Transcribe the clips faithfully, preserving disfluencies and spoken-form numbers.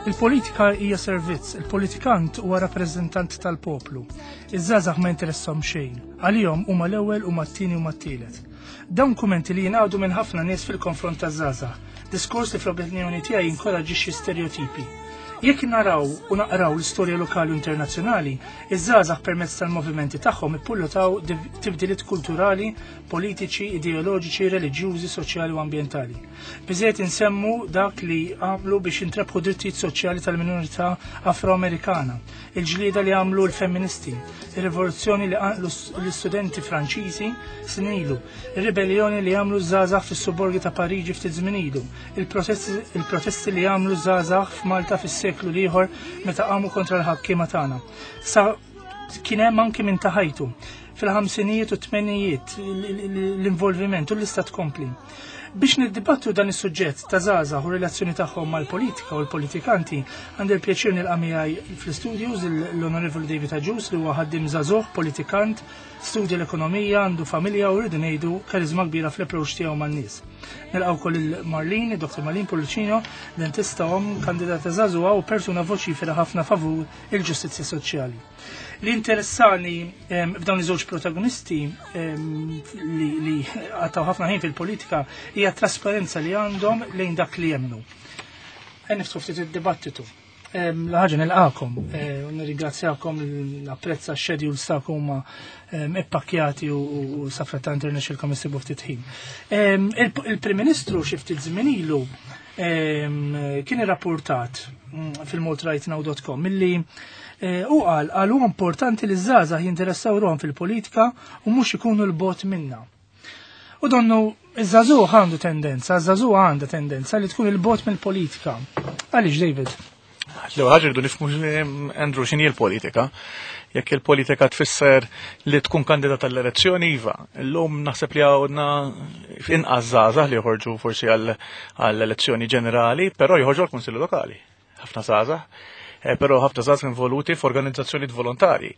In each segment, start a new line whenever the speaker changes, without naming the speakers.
Il-politika hija servizz, il-politikant huwa rappreżentant tal-poplu. Iż-żgħażagħ ma jinteressahom xejn. Għalihom huma l-ewwel huma t-tieni huma t-tielet. Dawn kumenti li jingħadu minn ħafna nies fil-konfront taż-żgħażagħ. Diskors li fl-opinjoni tiegħi jinkoraġġixxi stereotipi. Jekk naraw u naqraw l-istorja lokali u internazzjonali, iż-żgħażagħ permezz tal-movimenti tagħhom ippullutaw tibdiliet kulturali, politiċi, ideoloġiċi, reliġjużi, soċjali u ambjentali. Biżejjed insemmu dak li għamlu biex intrebħu drittijiet soċjali tal-minorità Afroamerikana, il-ġlieda li għamlu l-femministi, il-rivoluzzjoni li għamlu l-istudenti Franċiżi snin ilu, il-ribellioni li għamlu żgħażagħ fis-suborgi ta' Pariġi ftit żmien ilu, il-protesti li għamlu żgħażagħ f'Malta fis-seklu l-ieħor meta qamu kontra l-ħakkiema tagħna. Sa kien hemm anki minn ta' ħajtu fil-ħamsinijiet u t-tmenijiet l-involviment u l-lista tkompli. Biex niddibattu dan is-suġġett ta' żgħażagħ u relazzjoni tagħhom mal-politika u l-politikanti, għandi l-pjaċir nilqa' miegħi fl-studios l-Onorevoli David Agius li huwa ħaddiem żagħżugħ, politikant, studja l-ekonomija, għandu familja u rridu ngħidu karizma kbira fl-approach tiegħu man-nies. Nilqgħu wkoll il-Marlene, Dr. Marlene Pullicino, dentista omm, kandidata żagħżugħa u persuna voċifera ħafna favur il-ġustizzja soċjali. Li interessani f'dawn iż-żewġ protagonisti li, li għattaw ħafna ħin fil-politika hija trasparenza li għandhom lejn dak li jemmnu. Niftħu ftit id-dibattitu. L-ħaġa nilqakom eh, u nirringrazzjakom l-apprezza x-schedules tagħkom huma ippakkjati u safrattant irnexxilkom issibu ftit ħin. Il-Prim Ministru xi ftit żmien ilu kien irrapportat mm, fil-maltarightnow.com milli eh, u qal qal huwa importanti li żgħażagħ jinteressaw ruhom fil-politika u mhux ikunu 'l bogħod minna. U donnu iż-żagħżugħ għandu tendenza, iż-żagħżugħ għandha tendenza li tkun 'il bogħod mill-politika. Għaliex David?
L-ewwel ħaġa rridu nifhmu Andrew x'inhi l-politika. Jekk il-politika tfisser li tkun kandidat għall-elezzjoni iva. Illum naħseb li għandna inqas żgħażagħ li joħorġu forsi għall-elezzjoni ġenerali, però joħorġu għall-Kunsilli Lokali. Ħafna żgħażagħ. Eh, però ħafna żgħażagħ involuti f'organizzazzjonijiet volontari,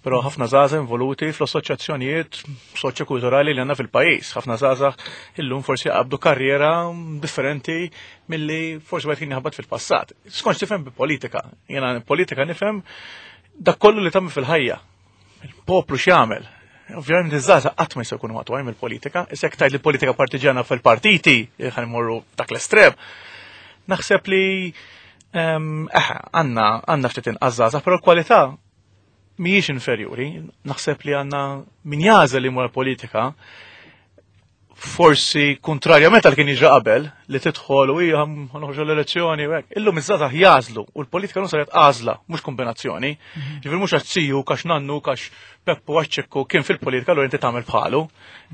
però ħafna żgħażagħ involuti fl-assoċjazzjonijiet soċjokulturali li għandna fil-pajjiż. Ħafna żgħażagħ illum forsi qabdu karriera differenti milli forsi wieħed kien jaħbat fil-passat. Skont tifhem bi-politika. Jiena politika nifhem dak kollu li tagħmel fil-ħajja. Il-poplu x'jagħmel. Ovvjament iż-żgħażagħ qatt ma jistgħu jkunu maqtugħin mill-politika, issa jekk tgħid li politika partiġjana fil-partiti, ħa nmorru dak l-estrem. Naħseb li eħe, għandna għandna ftit inqas żgħażagħ, però l-kwalità mhijiex inferjuri. Naħseb li għandna min jagħżel li jmur politika forsi kontrarjament għal kien jiġri qabel li tidħol u hija noħorġu l-elezzjoni u hekk. Illum iż-żgħażagħ jagħżlu u l-politika non saret għażla mhux kombinazzjoni. Ġifieri mhux għax ziju, għax nannu, għax Peppu għax Ċikku kien fil-politika allura inti tagħmel bħalu.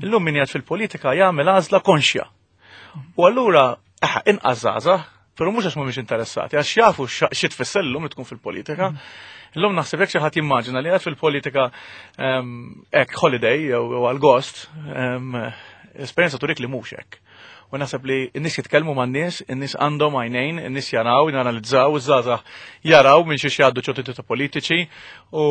Illum min jgħid fil-politika jagħmel għażla konxja. U allura eħe inqas żgħażagħ, però mhux għax mhumiex interessati, għax jafu xi tfisser illum li tkun fil-politika. Illum naħseb jekk xi ħadd jimmaġina li qed fil-politika hekk holiday jew għal gost, esperjenza turik li mhux hekk. U naħseb li n-nies jitkellmu man-nies, in-nies għandhom għajnejn, in-nies jaraw, janalizzaw, iż-żgħażagħ jaraw minn xiex jgħaddu ċertu ta' politiċi u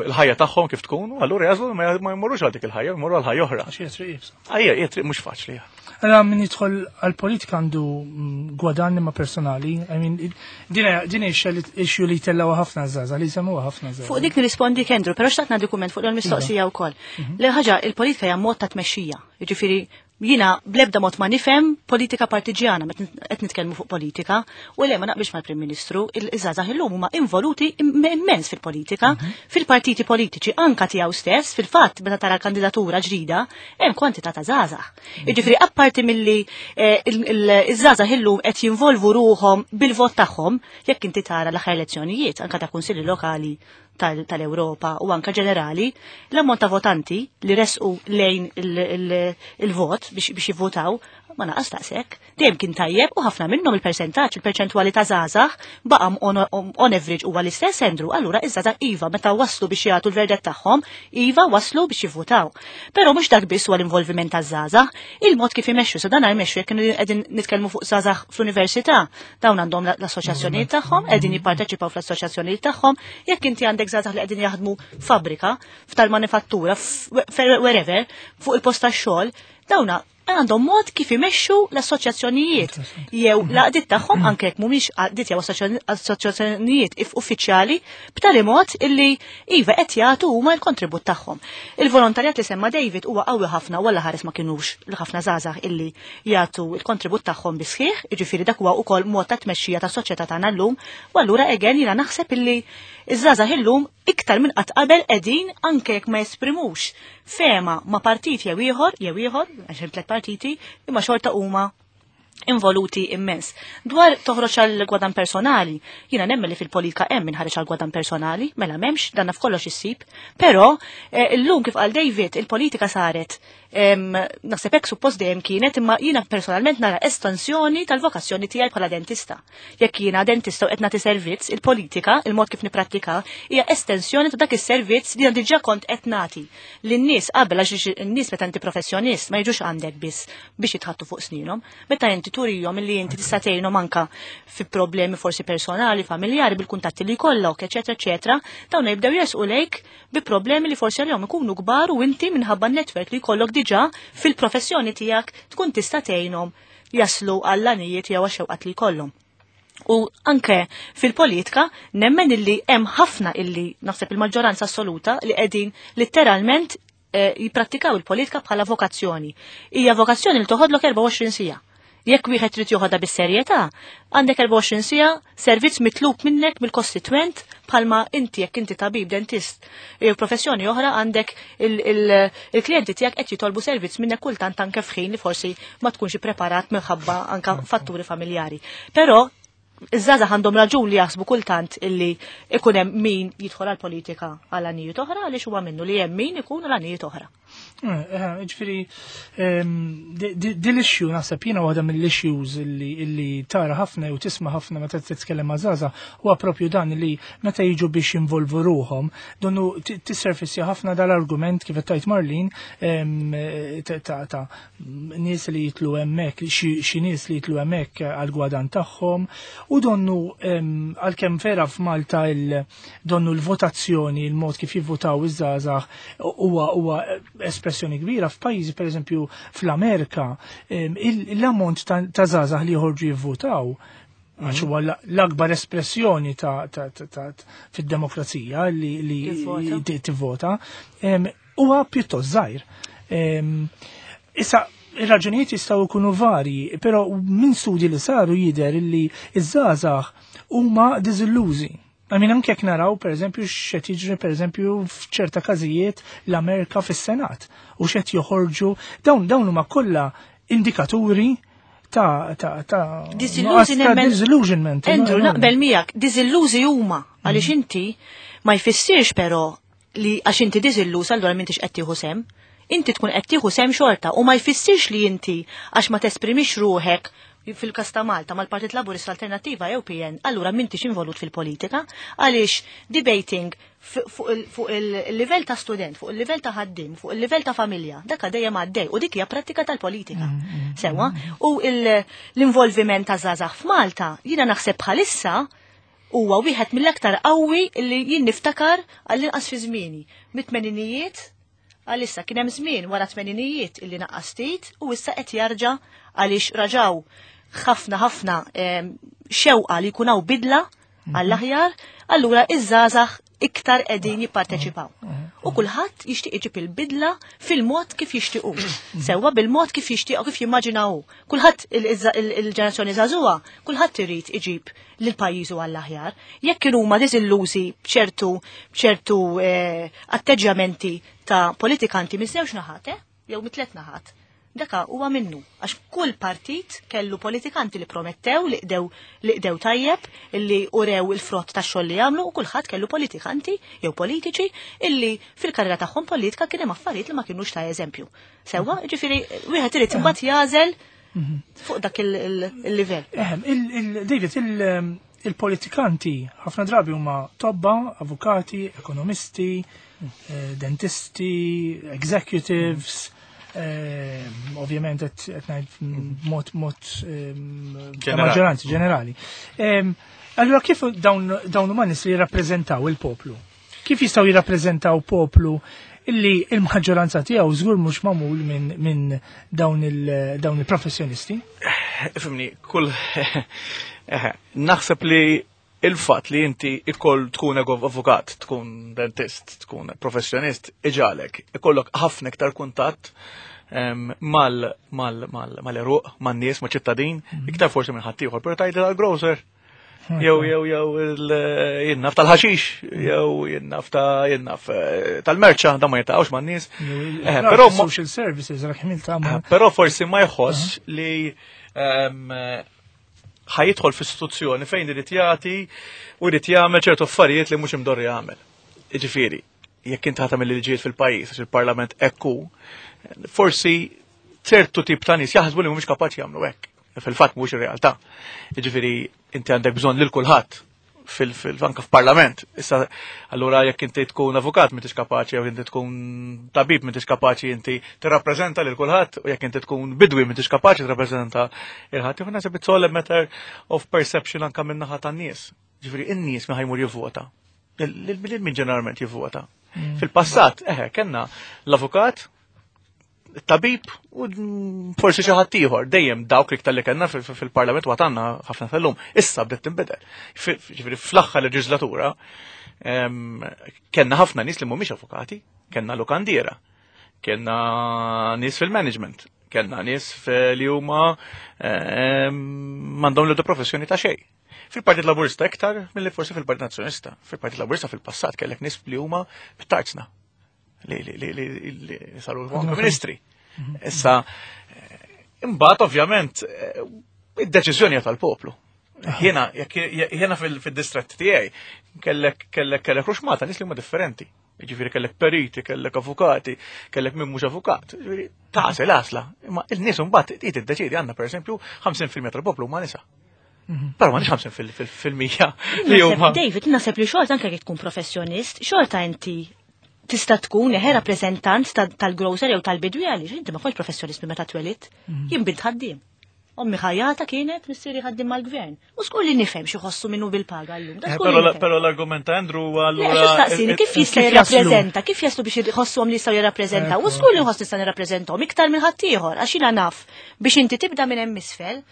l-ħajja tagħhom kif tkun, u allura jagħżlu ma jmorrux għal dik il-ħajja, jmorru għal ħajja oħra.
Għax hija triq iebsa.
Ejja, hija triq mhux faċli.
Allora min jidħol għal-politika għandu mm, gwadann imma personali, I mean, din issue li tellgħu ħafna żgħażagħ, li semmuha ħafna żgħażagħ.
Fuq dik nirrispondi Andrew, però xtaqt nagħti kumment fuq il-mistoqsija wkoll. Le ħaġa, il-politika hija mod ta' tmexxija. Jiġifieri jiena blebda mod ma nifhem politika partiġjana meta qed nitkellmu fuq politika u le ma naqbilx mal-Prim Ministru, il-żgħażagħ illum huma involuti immens fil-politika, fil-partiti politiċi anka tiegħu stess, fil-fatt meta tara kandidatura ġdida, hemm kwantità ta' żgħażagħ. Jiġifieri apparti milli eh, iż-żgħażagħ illum qed jinvolvu ruhom bil-vot tagħhom, jekk inti tara l-aħħar elezzjonijiet anka ta' kunsilli lokali tal-Ewropa u anka ġenerali, l-ammont ta' votanti li resqu lejn il-vot biex jivvotaw ma naqas daqshekk. Dejjem kien tajjeb u ħafna minnhom il-persentaġġ, il-perċentwali ta' żgħażagħ baqa' on average huwa l-istess Andrew, allura iż-żgħażagħ iva meta waslu biex jagħtu l-verdett tagħhom, iva waslu biex jivvotaw. Però mhux dak biss huwa l-involviment taż-żgħażagħ, il-mod kif imexxu, sa dan jmexxu jekk qegħdin nitkellmu fuq żgħażagħ fl-università, dawn għandhom l-assoċjazzjonijiet tagħhom, qegħdin jipparteċipaw fl-assoċjazzjonijiet tagħhom, jekk inti għandek żgħażagħ li qegħdin jaħdmu fabbrika, f'tal-manifattura, wherever, fuq il-post tax-xogħol, dawna għandhom mod kif imexxu l-assoċjazzjonijiet jew l-għaqdiet tagħhom, anke jekk mhumiex għaqdiet jew assoċjazzjonijiet uffiċjali, b'tali mod illi iva qed jagħtu huma l-kontribut tagħhom. Il-volontarjat li semma David huwa qawwi ħafna, walla ħares ma kinux l-ħafna żgħażagħ illi jagħtu l-kontribut tagħhom bi sħiħ, jiġifieri dak huwa wkoll mod ta' tmexxija tas-soċjetà tagħna llum, u allura again jiena naħseb illi iż-żgħażagħ illum iktar minn qatt qabel qegħdin, anke jekk ma jesprimux fehma ma' partit jew ieħor jew ieħor, għax hemm tliet partiti, imma xorta huma involuti immens. Dwar toħroġ għal gwadan personali, jiena nemmen li fil-politika hemm min ħareġ għal gwadan personali, mela m'hemmx, danna f'kollox issib, però eh, illum kif qal David, il-politika saret, naħseb hekk suppost dejjem kienet, imma jiena personalment nara estensjoni tal-vokazzjoni tiegħi bħala dentista. Jekk jiena dentista u qed nagħti servizz, il-politika, il-mod kif nipprattika, hija estensjoni ta' dak is-servizz li jiena diġà kont qed nagħti lin-nies qabel, għax in-nies meta inti professjonist ma jiġux għandek biss biex jitħattu fuq sninhom, meta inti turihom illi inti tista' tgħinhom anka fi problemi forsi personali, familjari, bil-kuntatti li jkollok, eċetera, eċetera, dawn jibdew jersqu lejk bi problemi li forsi għalihom ikunu kbar u inti minħabba n-netwerk li jkollok diġà fil-professjoni tiegħek tkun tista' tgħinhom jaslu għall-għanijiet jew għax-xewqat li jkollhom. U anke fil-politika nemmen illi hemm ħafna illi naħseb il-maġġoranza assoluta li qegħdin letteralment eh, jipprattikaw il-politika bħala vokazzjoni. Hija vokazzjoni li toħodlok erbgħa u għoxrin siegħa. Jekk wieħed trid joħodha bis-serjetà, għandek erbgħa u għoxrin siegħa servizz mitlub minnek mill-kostitwent, bħalma inti jekk inti tabib, dentist jew professjoni oħra, għandek il-klijenti tiegħek qed jitolbu servizz minnek kultant anke f'ħin li forsi ma tkunx ippreparat minħabba anke fatturi familjari. Però iż-żgħażagħ għandhom raġun li jaħsbu kultant illi ikun hemm min jidħol għall-politika għal għanijiet oħra, għaliex huwa minnu li hemm min ikun għal għanijiet oħra.
Ġifieri, din l-issue naħseb jiena waħda mill-issues illi tara ħafna u tisma' ħafna meta titkellem ma' żgħażagħ huwa propju dan, li meta jiġu biex jinvolvu ruħhom, donnu tisserfissja ħafna dal-argument kif qed tgħid Marlin, ta' nies li jitlu hemmhekk, xi nies li jitlu hemmhekk għal-gwadan tagħhom, u donnu għalkemm vera f'Malta donnu l-votazzjoni, il-mod kif jivvotaw iż-żgħażagħ huwa huwa espressjoni kbira, f'pajjiżi pereżempju fl-Amerika l-ammont ta' żgħażagħ li joħorġu jivvotaw, għax huwa l-akbar espressjoni ta' fid-demokrazija li tivvota, huwa pjuttost żgħir. Issa, ir-raġunijiet jistgħu jkunu varji, però minn studji li saru jidher li iż-żgħażagħ huma diżillużi. Għamin anke jekk naraw, per eżempju, x'qed jiġri, per eżempju, f'ċerta każijiet l-Amerika fis-Senat u x'qed joħorġu, dawn dawn huma kollha indikaturi ta' ta' ta'
Disillusionment. Andrew, naqbel miegħek, diżillużi huma għaliex inti ma jfissirx però li għax inti diżilluż allura m'intix qed tieħu sem. Inti tkun qed tieħu sem xorta u ma jfissirx li inti għax ma tesprimix ruħek fil-kas ta' Malta mal-Partit Laburista, Alternattiva jew P N, allura m'intix involut fil-politika, għaliex debating fuq il-livell ta' student, fuq il-livell ta' ħaddim, fuq il-livell ta' familja, dak dejjem għaddej u dik hija prattika tal-politika. Mm, mm, mm, Sewa, u l-involviment ta' żgħażagħ f'Malta, jiena naħseb bħalissa huwa wieħed mill-aktar qawwi li jien niftakar għall-inqas fi żmieni. Mit-tmeninijiet għalissa. Kien hemm żmien wara tmeninijiet illi naqqas ftit u issa qed jarġa' għaliex raġaw ħafna ħafna xewqa li jkun hawn bidla għall-aħjar, allura iż-żgħażagħ iktar qegħdin jipparteċipaw. U kulħadd jixtieq iġib il-bidla fil-mod kif jixtiequ. Sewwa, bil-mod kif jixtiequ, kif jimmaġinaw. Kulħadd, il-ġenerazzjoni żagħżugħa, kulħadd irid iġib lil pajjiżu għall-aħjar. Jekk kienu huma diżillużi b'ċertu b'ċertu eh, atteġġjamenti ta' politikanti minn żewġ naħat, eh? Jew mit tliet naħat. Daka huwa minnu, għax kull partit kellu politikanti li promettew, li qdew li qdew tajjeb, illi urew il-frott ta' xogħol li jagħmlu, u kulħadd kellu politikanti jew politiċi illi fil-karriera tagħhom politika kien hemm affarijiet li ma kinux ta' eżempju. Sewwa, ġifieri wieħed irid imbagħad jagħżel fuq dak il-livell.
Ehem, David, il-politikanti ħafna drabi huma tobba, avukati, ekonomisti, eh, dentisti, executives, eh, ovvjament qed ngħid mod mod maġġoranzi ġenerali. Allura kif dawn dawn huma nies li jirrappreżentaw il-poplu? Kif jistgħu jirrappreżentaw poplu Illi il-maġġoranza tiegħu żgur mhux magħmul minn min dawn il-professjonisti.
Ifhimni, kull naħseb li il-fatt li inti ikoll tkun avukat, tkun dentist, tkun professjonist, iġagħlek, ikollok ħafna iktar kuntatt mal mal mal mal-eruq, man-nies, ma' ċittadin, iktar forsi minn ħaddieħor, però tgħid tal-grocer. Jew jew jew jien naf tal-ħaxix, jew jien naf ta' jien naf tal-merċa, da ma jiltaqgħux man-nies.
Però social services rak ħmil
Però forsi ma jħoss li ħa jidħol f'istituzzjoni fejn irid jagħti u jrid jagħmel ċertu affarijiet li mhux imdorri jagħmel. Jiġifieri, jekk inti ħa tagħmel liġijiet fil-pajjiż għax il-Parlament ekku, forsi ċertu tip ta' nies jaħsbu li mhumiex kapaċi jagħmlu hekk. Fil-fatt mhux ir-realtà. Jiġifieri inti għandek bżonn lil kulħadd fil-anka f'parlament. Issa allura jekk inti tkun avukat m'intix kapaċi jew inti tkun tabib m'intix kapaċi inti tirrappreżenta lil kulħadd u jekk inti tkun bidwi m'intix kapaċi tirrappreżenta lil ħadd. Jien naħseb it's all a matter of perception anka min-naħa tan-nies. Ġifieri in-nies min ħa jmur jivvota. Lil min ġeneralment jivvota. Fil-passat, eħe, kellna l-avukat, tabib u forsi xi ħadd ieħor dejjem dawk li li kellna fil-Parlament u għandna ħafna tal-lum. Issa bdiet tinbidel. Ġifieri fl-aħħar leġislatura kellna ħafna nies li mhumiex avukati, kellna lukandiera, kellna nies fil-management, kellna nies li huma m'għandhom l professjoni ta' xejn. Fil-Partit Laburista iktar milli forsi fil-Partit Nazzjonista. Fil-Partit Laburista fil-passat kellek nies li huma bit-tarzna li li li li li saru ministri. Issa, imbagħad ovvjament id-deċiżjoni hija tal-poplu. Jiena jiena fil-distrett tiegħi kellek kellek kellek ruxmata nies li huma differenti. Jiġifieri kellek periti, kellek avukati, kellek min mhux avukat. Jiġifieri tagħżel għażla. Imma il-nies imbagħad trid tiddeċiedi għandna pereżempju ħamsin fil-mija tal-poplu huma nisa. Però ma nix ħamsin fil-mija li huma.
David, naħseb li xorta anke jekk tkun professjonist, xorta inti tista' tkun eħe rappreżentant tal-grocer jew tal-bidwi għaliex inti ma kontx professjonist minn meta twelidt. Jien bint ħaddiem. Ommi ħajjata kienet, missieri ħaddiem mal-gvern. U żgur li nifhem xi ħossu minnu bil-paga llum.
Eh, però l-argument ta' Andrew
allura. Staqsini, kif jista' jirrappreżenta, kif jaslu biex jħossuhom li jistgħu jirrappreżentaw? U żgur li nħoss nista' nirrappreżentahom iktar minn ħaddieħor għax jiena naf biex inti tibda minn hemm isfel,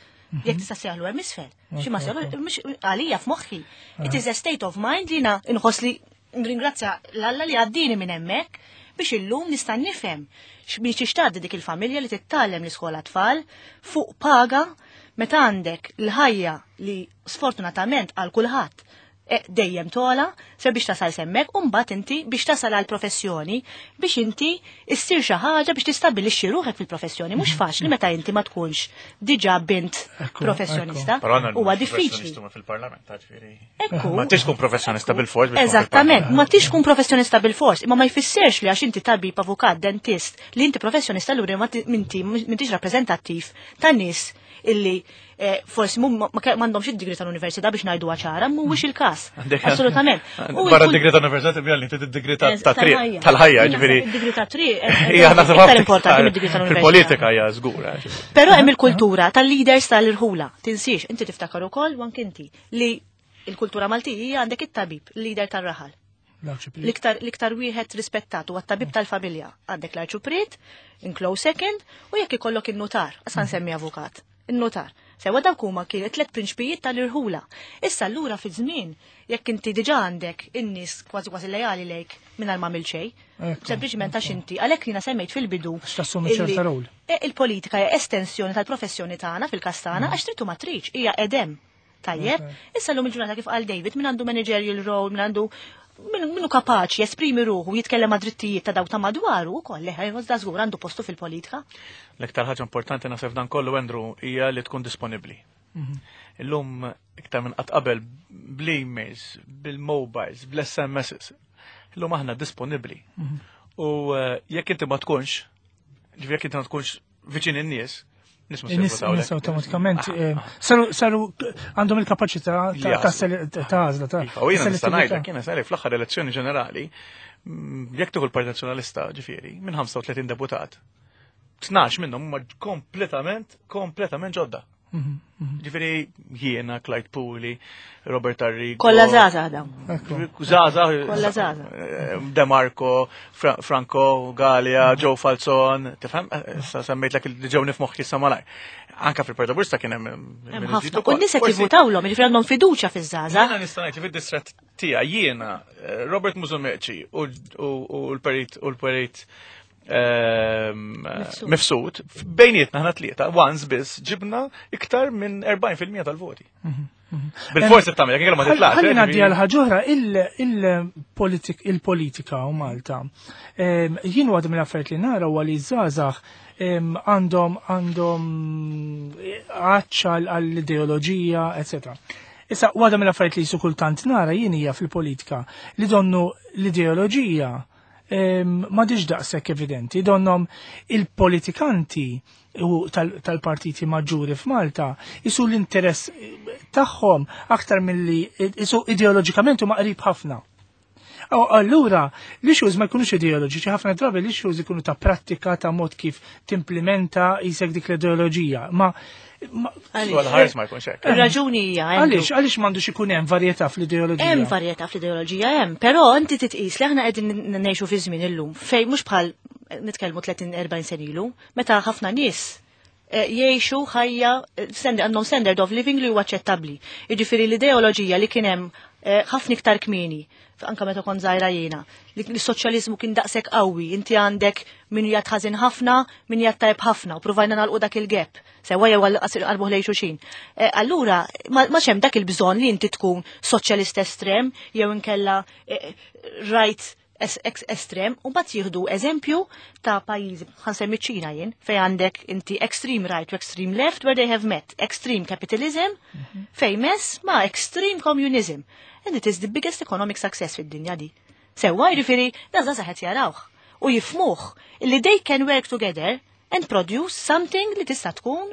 jekk tista' sejħlu hemm isfel. Xi ma sejħlu għalija f'moħħi. It is a state of mind li jiena nħoss li nringrazzja l-Alla li għaddini minn hemmhekk biex illum nista' nifhem biex tixtaddi dik il-familja li tittallem l-iskola tfal fuq paga meta għandek l-ħajja li sfortunatament għal kulħadd eh, dejjem togħla ser biex tasal s'hemmhekk u mbagħad inti biex tasal għal professjoni biex inti issir xi ħaġa biex tistabbilixxi ruħek fil-professjoni. Mhux faċli meta inti ma tkunx diġà bint professjonista. Huwa diffiċli.
Fil-parlament, ġifieri.
Ekku.
Ma tix tkun professjonista bil-fors. Biex tkun
Eżattament, ma tix tkun professjonista bil-fors, imma ma jfissirx li għax inti tabib, avukat, dentist, li inti professjonista allura ma ti- minti m'intix rappreżentattiv ta' nies illi eh, forsi mum ma m'għandhomx id-degree tal-università biex ngħidu ċara, mhuwiex il-każ.
Għandek-
Assolutament. U
Barra
il-kull-
d-degree tal-università tibja li id-degree ta' ta' triq,
Tal-ħajja.
tal-ħajja,
Jien
ġifieri.
naħseb id-degree ta' triq eh,
Hija naħseb
iktar
ħafna
importanti mid-degree tal-università.
Fil-politika hija żgura. Ġifieri.
Però hemm il-kultura tal-leaders tal-irħula. Tinsiex, inti tiftakar ukoll u anke inti li il-kultura Maltija għandek it-tabib, il-leader tar-raħal. L-iktar l-iktar wieħed rispettat huwa t-tabib tal-familja. Għandek l-arċupriet, in close second, u jekk ikollok in-notar, asa nsemmi avukat, in-notar. Sewa dawk huma kienet tliet prinċpijiet tal-irħula. Issa allura fi żmien jekk inti diġà għandek in-nies kważi kważi lejali lejk mingħajr ma għamilt xejn,
Ekku,
sempliċiment għax inti għalhekk jiena semmejt fil-bidu.
Għax tassumi
illi-
ċerta rol.
E, il-politika hija estensjoni tal-professjoni tagħna fil-każ tagħna għax trid u ma tridx, hija edem. Tajjeb, issa llum il-ġurnata kif qal David, min għandu managerial role, min għandu min minu kapaċi jesprimi ruħu, jitkellem ma' drittijiet ta' dawk ta' madwaru ukoll leħ, da żgur għandu postu fil-politika.
L-iktar ħaġa importanti naħseb dan kollu, Andrew, hija li tkun disponibbli. Illum iktar minn qatt qabel bl-emails, bil-mobiles, bl-S M Ss. Illum aħna disponibbli. U eh, jekk inti ma tkunx, ġifieri jekk inti ma tkunx viċin in-nies, nies ma
In-nies
jivvotawlek.
in-nies automatikament eh, saru saru għandhom il-kapaċità ta'
Li
ta' sele- ta' għażla ta'
Iva, u jiena nista'
selettività.
ngħidlek, jiena sari fl-aħħar elezzjoni ġenerali, mm, jekk tieħu l-Partit Nazzjonalista, ġifieri, minn ħamsa u tletin deputat, tnax minnhom huma kompletament, kompletament ġodda. Ġifieri jiena, Clyde Puli, Robert Arrigo.
Kollha żgħażagħ dawn.
Żgħażagħ.
Kollha żgħażagħ.
De Marco, Franco, Galea, Joe Falzon, tifhem? Issa semmejtlek li ġew f'moħħi issa malajr. Anka fil-Partit Laburista kien hemm
Hemm ħafna. U n-nies qed jivvutawlhom, jiġifieri għandhom fiduċja fiż-żgħażagħ.
Jiena nista' ngħid li fid-distrett tiegħi jiena Robert Musumeci u l-Perit u l-Perit Mifsud, bejnietna ħna tlieta, once biss ġibna iktar minn erbgħin fil-mija tal-voti. Bil-forsi tagħmel, jekk ma titlaqx.
Ħalli ngħaddi għal ħaġa oħra, il-politika u Malta. Jien waħda mill-affarijiet li nara huwa li żgħażagħ għandhom għandhom għatx għall-ideoloġija, eċetera. Issa waħda mill-affarijiet li kultant nara jien hija fil-politika li donnu l-ideoloġija ma diġ daqshekk evidenti, donnom il-politikanti u tal-partiti maġġuri f'Malta isu l-interess tagħhom aktar milli isu ideoloġikament huma qrib ħafna. Allura, l-issues ma jkunux ideoloġiċi, ħafna drabi l-issues ikunu ta' prattika, ta' mod kif timplementa jisek dik l-ideoloġija. Ma
Għal-ħares ma jkunx hekk.
Ir-raġuni hija.
Għaliex, għaliex m'għandux ikun hemm varjetà fl-ideoloġija?
Hemm varjetà fl-ideoloġija hemm, però inti titqis li aħna qegħdin ngħixu fi żmien illum fejn mhux bħal nitkellmu tletin erbgħin sen ilu, meta ħafna nies jgħixu ħajja għandhom standard of living li huwa aċċettabbli. Jiġifieri l-ideoloġija li kien hemm ħafna iktar kmieni, anka meta kont żgħira jiena, li s-soċjaliżmu kien daqshekk qawwi, inti għandek min jgħid ħażin ħafna, min jgħid tajb ħafna, u provajna nagħlqu dak il-gap, sewwa jew qalbuh lejn xulxin. Allura ma hemm dak il-bżonn li inti tkun soċjalist estrem jew inkella right estrem, u mbagħad jieħdu eżempju ta' pajjiżi, ħansemmi ċ-Ċina jien, fejn għandek inti extreme right u extreme left where they have met, extreme capitalism fejn mess ma' extreme communism. And it is the biggest economic success fid-dinja di. Sewwa jiġifieri da żgħażagħ qed jarawh u jifmuh li they can work together and produce something li tista' tkun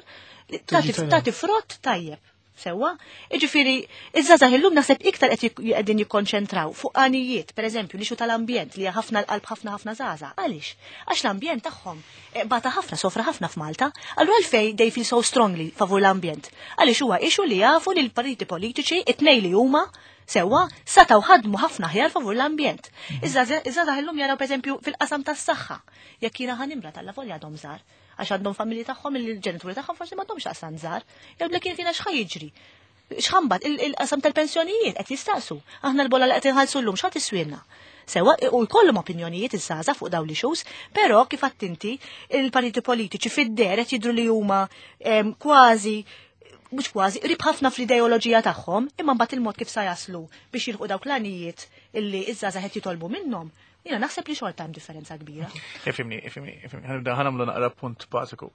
tagħti frott tajjeb. Sewwa, jiġifieri iż-żgħażagħ illum naħseb iktar qed qegħdin jikkonċentraw fuq għanijiet, pereżempju l-issue tal-ambjent li hija ħafna l-qalb ħafna ħafna żgħażagħ. Għaliex? Għax l-ambjent tagħhom bata ħafna, sofra ħafna f'Malta, allura għalfejn they feel so strongly favur l-ambjent. Għaliex huwa issue li jafu li l-partiti politiċi it-tnejn li huma sewwa sataw ħadmu ħafna ħjar favur l-ambjent. Iż-żgħażagħ illum jaraw pereżempju fil-qasam tas-saħħa, jekk jiena ħanimra tal-lavolja għadhom żgħar, għax għandhom familji tagħhom il-ġenituri tagħhom forsi m'għandhomx daqstant żgħar, jew li kien fina x'ħa jiġri. X'ħambat il-qasam tal-pensjonijiet qed jistaqsu. Aħna l-bolla li qed inħallsu llum x'ħa tiswielna. Sewwa u jkollhom opinjonijiet iż-żgħażagħ fuq dawn l-issues, però kif għadt inti il-partiti politiċi fid-der qed jidhru li huma kważi mhux kważi, qrib ħafna fl-ideoloġija tagħhom, imma mbagħad il-mod kif sa jaslu biex jilħqu dawk l-għanijiet illi iż-żgħażagħ qed jitolbu minnhom, jiena naħseb li xorta hemm differenza kbira.
Ifhimni, ifhimni, ifhimni, ħanibda ħanamlu naqra punt bażiku.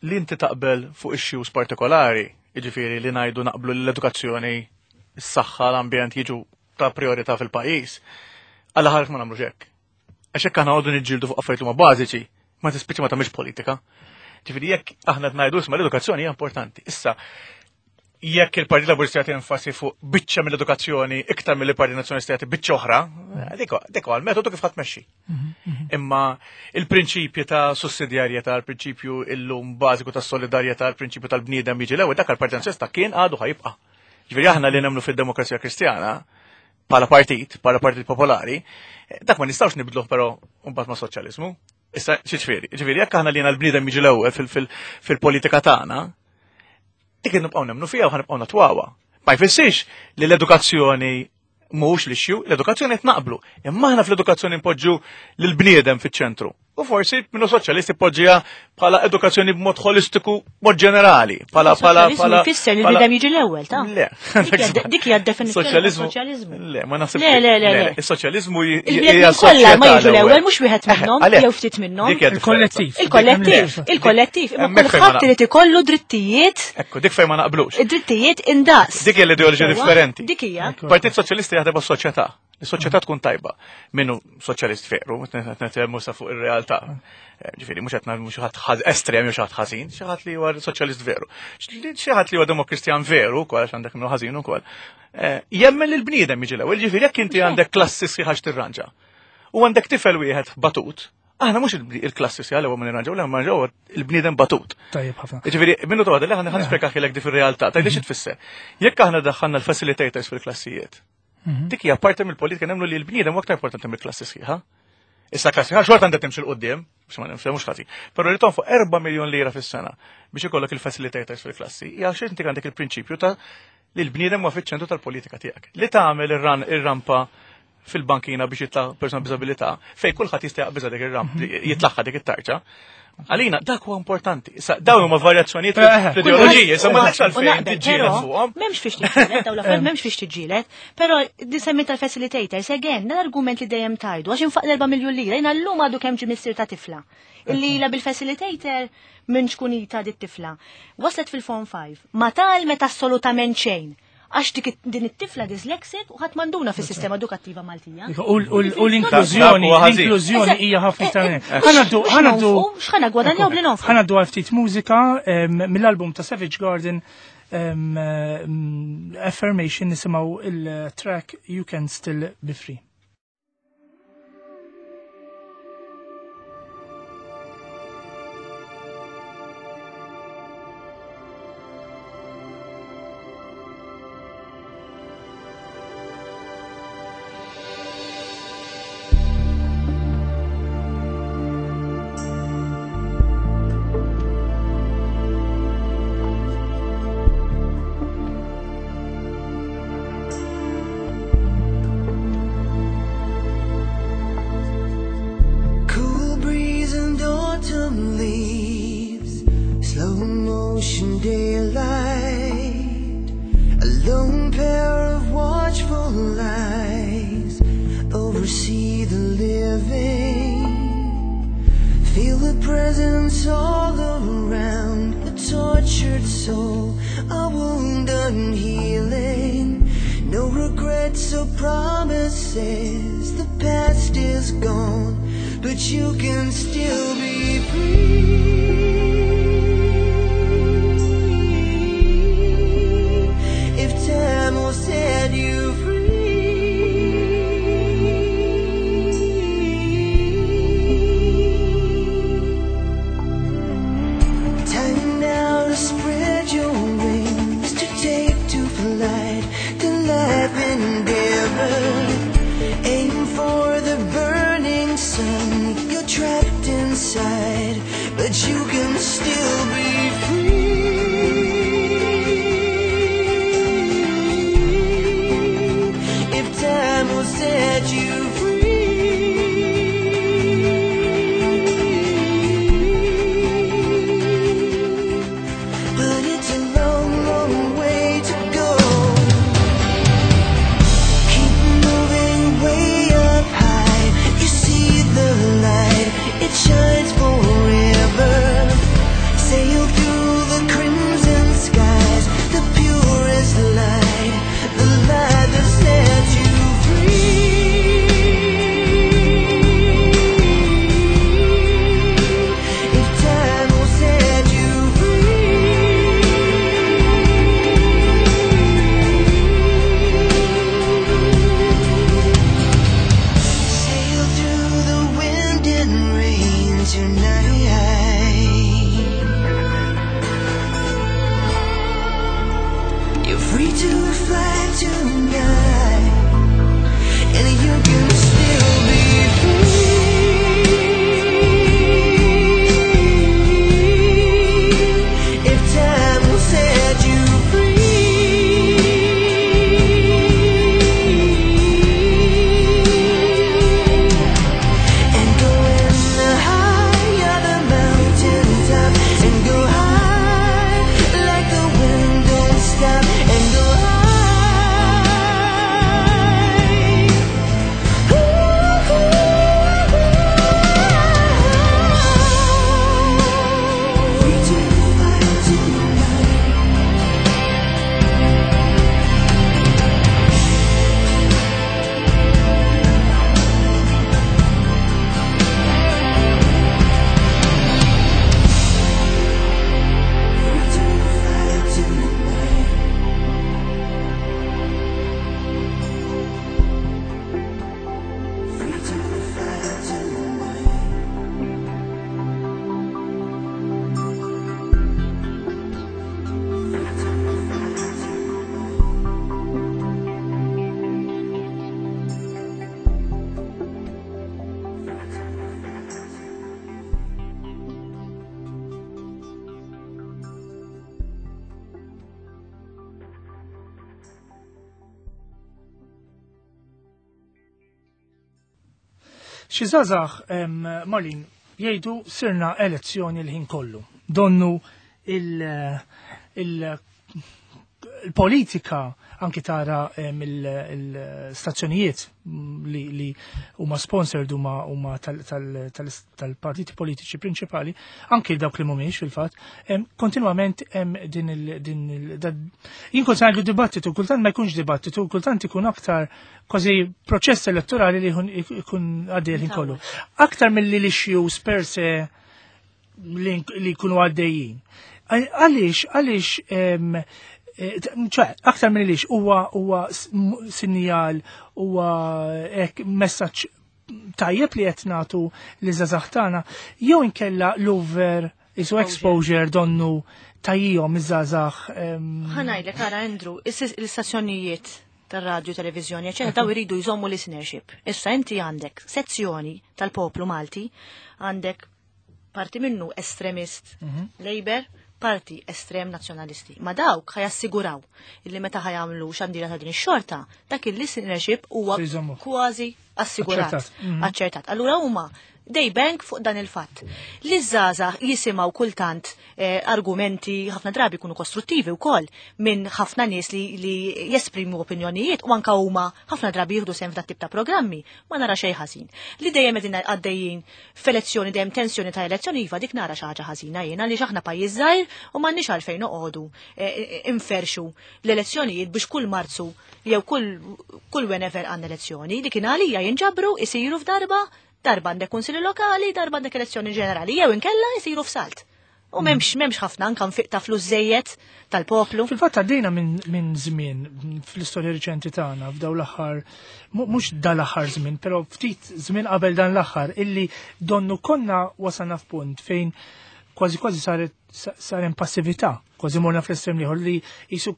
Li inti taqbel fuq issues partikolari, jiġifieri li ngħidu naqblu l-edukazzjoni, is-saħħa, l-ambjent jiġu ta' priorità fil-pajjiż, alla ħares ma nagħmlux hekk. Għax hekk aħna għodu niġġieldu fuq affarijiet huma bażiċi, ma tispiċċa ma tagħmilx politika. Ġifieri jekk aħna qed ngħidu isma' l-edukazzjoni hija importanti. Issa, jekk il-Partit Laburista jagħti enfasi fuq biċċa mill-edukazzjoni iktar mill-Partit Nazzjonalista jagħti biċċa oħra, dik dik huwa l-metodu kif ħadd tmexxi. Imma il-prinċipju ta' sussidjarjetà, il-prinċipju illum bażiku ta' solidarjetà, il-prinċipju tal-bniedem jiġi l-ewwel, dak il-Partit Nazzjonalista kien għadu ħajibqa'. Ġifieri aħna li nemmnu fid-Demokrazija Kristjana, bħala partit, bħala Partit Popolari, dak ma nistgħux nibdluh però mbagħad ma' soċjaliżmu. Issa, xiġifieri, ġifieri jekk aħna li l-bniedem jiġi l-ewwel fil-politika tagħna, dik nibqgħu nemmnu fiha u ħanibqgħu natwawha. Ma jfissirx li l-edukazzjoni mhux l-issue, l-edukazzjoni qed naqblu. Imma aħna fl-edukazzjoni npoġġu lill-bniedem fiċ-ċentru. U forsi minnu soċjalisti poġġiha bħala edukazzjoni b'mod holistiku, mod ġenerali. Bħala bħala bħala.
Fisser li l-bniedem jiġi l-ewwel, ta'
Le.
Dik hija d-definizzjoni tas-soċjaliżmu.
Le, ma naħsibx.
Le, le, le, le.
Is-soċjaliżmu
Il-bniedem kollha ma jiġu l-ewwel mhux wieħed minnhom jew ftit minnhom.
Il-kollettiv.
Il-kollettiv, il-kollettiv. Imma kulħadd irid ikollu drittijiet.
Ekku, dik fejn ma naqblux.
Id-drittijiet indaqs.
Dik hija l-ideoloġija differenti.
Dik hija.
Partit Soċjalista jaħdem għas-soċjetà. Is-soċjetà tkun tajba. Minnu soċjalist veru, nitkellmu sa fuq ir-realtà. Ġifieri mhux qed ngħidu xi ħadd estrem jew xi ħadd ħażin, xi ħadd li huwa soċjalist veru. Xi ħadd li huwa demokristjan veru wkoll għax għandek minnu ħażin ukoll. Jemmen li l-bniedem jiġi l-ewwel, ġifieri jekk inti għandek klassi sħiħa tirranġa. U għandek tifel wieħed batut, Aħna mhux il-klassi sja l-ewwel ma nirranġaw, l-ewwel ma nirranġaw il-bniedem batut.
Tajjeb ħafna.
Jiġifieri minnu toqgħod li aħna ħa nispjegahilek di fir-realtà, tgħidli xi tfisser. Jekk aħna daħħalna l-facilitators fil-klassijiet, dik hija parti mill-politika nemmnu li l-bniedem huwa aktar importanti mill-klassi sħiħa. Issa klassi sħiħa xorta għandha timxi 'l quddiem, biex ma nifhmux ħażin. Però li tonfoq erba' miljun lira fis-sena biex ikollok il-facilitators fil-klassi, hija xi inti għandek il-prinċipju ta' li l-bniedem huwa fiċ-ċentru tal-politika tiegħek. Li tagħmel ir-rampa fil-bankina biex jitla' persuna b'diżabilità, fej kulħadd jista' jaqbiżha dik ir-ramp, jitlaħħa dik it-tarġa. Għalina, dak huwa importanti. Issa, dawn huma varjazzjonijiet fl-ideoloġiji, issa ma nafx għalfejn tiġġieled fuqhom.
M'hemmx fiex tiġġieled, dawn l-affarijiet m'hemmx fiex tiġġieled, però di semmi tal-facilitators, again, l-argument li dejjem tajdu, għax infaq l-erba' miljun lira, jiena llum għadu kemm ġie missier ta' tifla. Illi la bil-facilitator minn xkunita dit tifla. Waslet fil-form five, ma tgħallmet assolutament xejn. Għax dik din it-tifla dyslexic u ħadd m'għanduna fis-sistema edukattiva Maltija.
U l-inklużjoni, l-inklużjoni hija ħafna iktar. Ħa ngħaddu, ħa ngħaddu.
X'ħa niggwadanjaw bli nonfqu.
Ħa ngħaddu għal ftit mużika mill-album ta' Savage Garden Affirmation, nisimgħu il-track You Can Still Be Free.
Stop and go high.
Xi żgħażagħ Marlene jgħidu sirna elezzjoni l-ħin kollu. Donnu il- il- il-politika anki tara il-stazzjonijiet li, li huma sponsored huma huma tal-partiti politiċi prinċipali, anki dawk li mhumiex fil-fatt, kontinwament hemm din il din il jien kont ngħidu dibattitu, kultant ma jkunx dibattitu, kultant ikun aktar kważi proċess elettorali li jkun għaddej il kollu. Aktar mill-li l-issues per se li jkunu għaddejjin. Għaliex, għaliex ċe, aktar minn lix huwa huwa sinjal huwa hekk messaġġ tajjeb li qed nagħtu li żgħażagħ tagħna, jew inkella l-over isu exposure donnu tajjihom iż-żgħażagħ.
Ħa ngħidlek ara Andrew, l-istazzjonijiet tar-radju, televizjoni, eċetera, daw iridu jżommu listenership. Issa inti għandek sezzjoni tal-poplu Malti, għandek parti minnu estremist Labour, parti estrem nazzjonalisti. Ma dawk ħa jassiguraw illi meta ħa jagħmlu xandira ta' din ix-xorta, dak il-listenership huwa kważi assigurat. Aċċertat. Allura huma they bank fuq dan il-fatt. Li żgħażagħ jisimgħu kultant eh, argumenti ħafna drabi jkunu kostruttivi wkoll minn ħafna nies li, li jesprimu opinjonijiet u anka huma ħafna drabi jieħdu sehem f'dat tip ta' programmi, ma nara xejn ħażin. Li dejjem qegħdin għaddejjin f'elezzjoni dejjem tensjoni ta' elezzjoni iva dik nara xi ħaġa ħażina jien għaliex aħna pajjiż żgħir u m'għandniex għalfejn noqogħdu eh, inferxu l-elezzjonijiet biex kull Marzu jew kull kull whenever għandna elezzjoni li kien għalija jinġabru isiru f'darba darba għandek kunsilli lokali, darba għandek elezzjoni ġenerali, jew inkella jisiru f'salt. U m'hemmx m'hemmx ħafna anka nfiq ta' flus żejjed tal-poplu.
Fil-fatt għaddejna minn min żmien fl-istorja riċenti tagħna f'daw l-aħħar mhux dal-aħħar żmien, però ftit żmien qabel dan l-aħħar illi donnu konna wasalna f'punt fejn kważi kważi saret sar passività, kważi morna fl-estrem ieħor li jisu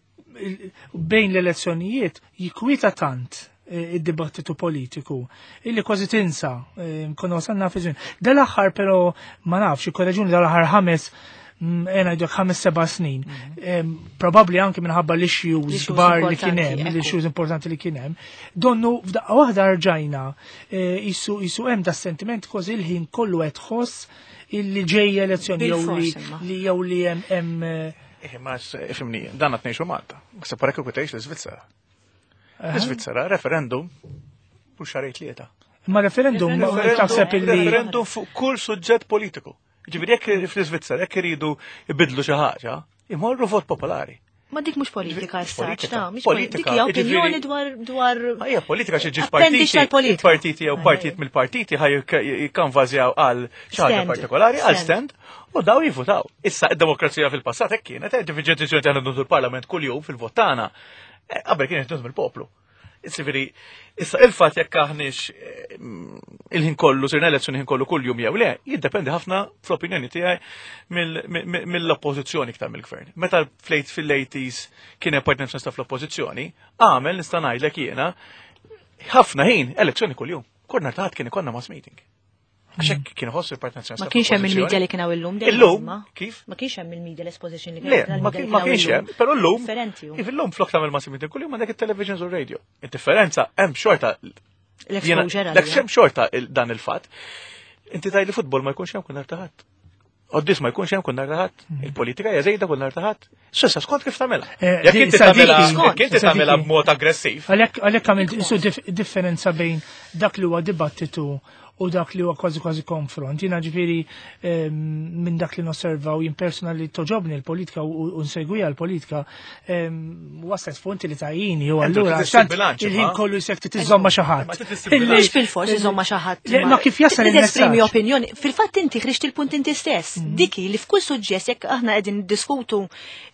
bejn l-elezzjonijiet jikwieta tant id-dibattitu politiku illi kważi tinsa konna wasalna fi żmien. Dal-aħħar però ma nafx, ikkoreġuni dal-aħħar ħames ena jdok ħames seba' snin. Probabli anke minħabba l-issues kbar li kien hemm, l-issues importanti li kien hemm. Donnu f'daqqa waħda rġajna isu isu hemm da sentiment kważi il-ħin kollu qed tħoss illi ġejja elezzjoni jew li jew li hemm
Eh, ma ifhimni, dan qed ngħixu Malta. Se parek kieku tgħix l-Iżvizzera. L-Iżvizzera referendum u xahrejn tlieta.
Ma referendum taħseb illi
referendum fuq kull suġġett politiku. Ġifieri jekk fl-Iżvizzera jekk iridu jbidlu xi ħaġa, imorru vot popolari.
Ma dik mhux politika issa, mhix politika. Dik hija opinjoni dwar dwar
Ma hija politika xi ġiġ partiti. Partiti jew partit mill-partiti ħaj jikkanvazjaw għal xi ħaġa partikolari, għal stand, u daw jivvutaw. Issa id-demokrazija fil-passat hekk kienet, ġifieri deċiżjoni tagħna l-Parlament kuljum fil-vot tagħna. Qabel kienet mill-poplu. Ġifieri, issa il-fatt jekk aħniex il-ħin kollu, sirna elezzjoni ħin kollu kull jum jew le, jiddependi ħafna fl-opinjoni tiegħi mill-oppożizzjoni iktar mill-gvern. Meta flejt fil-eighties kien hemm partit nazzjonalista fl-oppożizzjoni, għamel nista' ngħidlek jiena ħafna ħin elezzjoni kuljum. Kull nhar ta' kien ikollna mass meeting. Għax hekk kien iħossu il-Partit Nazzjonalista.
Ma kienx hemm il-media li kien hawn illum dejjem.
Illum, kif?
Ma kienx hemm il-media l-exposition li
kien hemm. Ma kienx hemm, però llum.
Differenti.
Kif illum flok tagħmel mass meeting kuljum għandek it-televisions u radio. Id-differenza hemm xorta
l-exposure.
L hemm xorta dan il-fatt. Inti tgħid li futbol ma jkunx hemm kull nhar ta' Ħadd. Quddies ma jkunx hemm kull nhar ta' Ħadd. Il-politika hija żejda kull nhar ta' Ħadd. S'issa skont kif tagħmilha. Jekk inti tagħmilha jekk inti tagħmilha b'mod aggressiv.
Għalhekk għalhekk għamilt isu differenza bejn dak li huwa dibattitu u dak li huwa kważi kważi konfront. Jiena ġifieri minn dak li nosserva u jien personali toġobni l-politika u nsegwija l-politika waslet f'punti li tajjini u allura il-ħin kollu jsek tiżomma xi ħadd.
Mhux bil-fors iżomma xi ħadd.
Ma kif jasal
il-esprimi opinjoni. Fil-fatt inti ħriġt il-punt inti stess. Mhm. Diki li f'kull suġġett jekk aħna qegħdin diskutu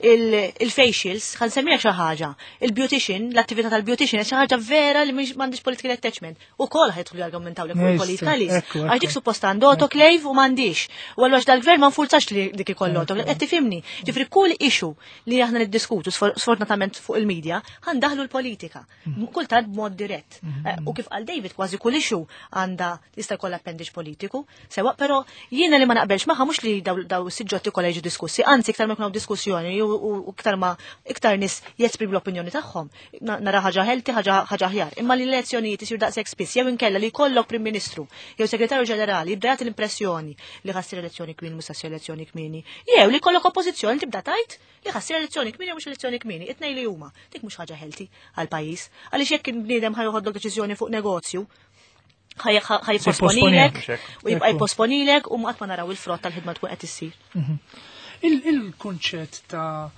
il-facials, ħa nsemmija xi ħaġa. Il-beautician, l-attività tal-beautician xi ħaġa vera li m'għandix political attachment. Ukoll ħa jidħlu jargumentaw li kull politika Għax dik suppost għandu autoclave u m'għandix. U allura dal-gvern ma nfurzax li dik ikollu autoclave. Qed tifhimni. Ġifri kull issue li aħna niddiskutu sfortunatament fuq il-medja, ħa ndaħħlu l-politika. Mhm. Kultant b'mod dirett. Mhm. Eh, u kif qal David kważi kull issue għandha jista' jkollha appendix politiku. Sewa, però jiena li ma naqbelx magħha mhux li daw is-suġġetti kollha jiġu diskussi, anzi iktar ma jkunu diskussjoni u iktar ma iktar nies jesprimu l-opinjoni tagħhom. Nara ħaġa healthy, ħaġa aħjar. Imma li l-elezzjonijiet isir daqshekk spiss jew inkella li jkollok Prim Ministru jew segretarju ġenerali jibda jagħti l-impressjoni li ħa ssir elezzjoni kmieni mhux ssir elezzjoni kmieni. Jew li jkollok oppożizzjoni tibda tgħid li ħa ssir elezzjoni kmieni jew mhux elezzjoni kmieni. It-tnejn li huma. Dik mhux ħaġa healthy għall-pajjiż. Għaliex jekk il-bniedem ħa joħodlok deċiżjoni fuq negozju, ħa jipposponilek u jibqa' jipposponilek u qatt ma naraw il-frott tal-ħidma tkun qed issir.
Mhm. Il-kunċett ta'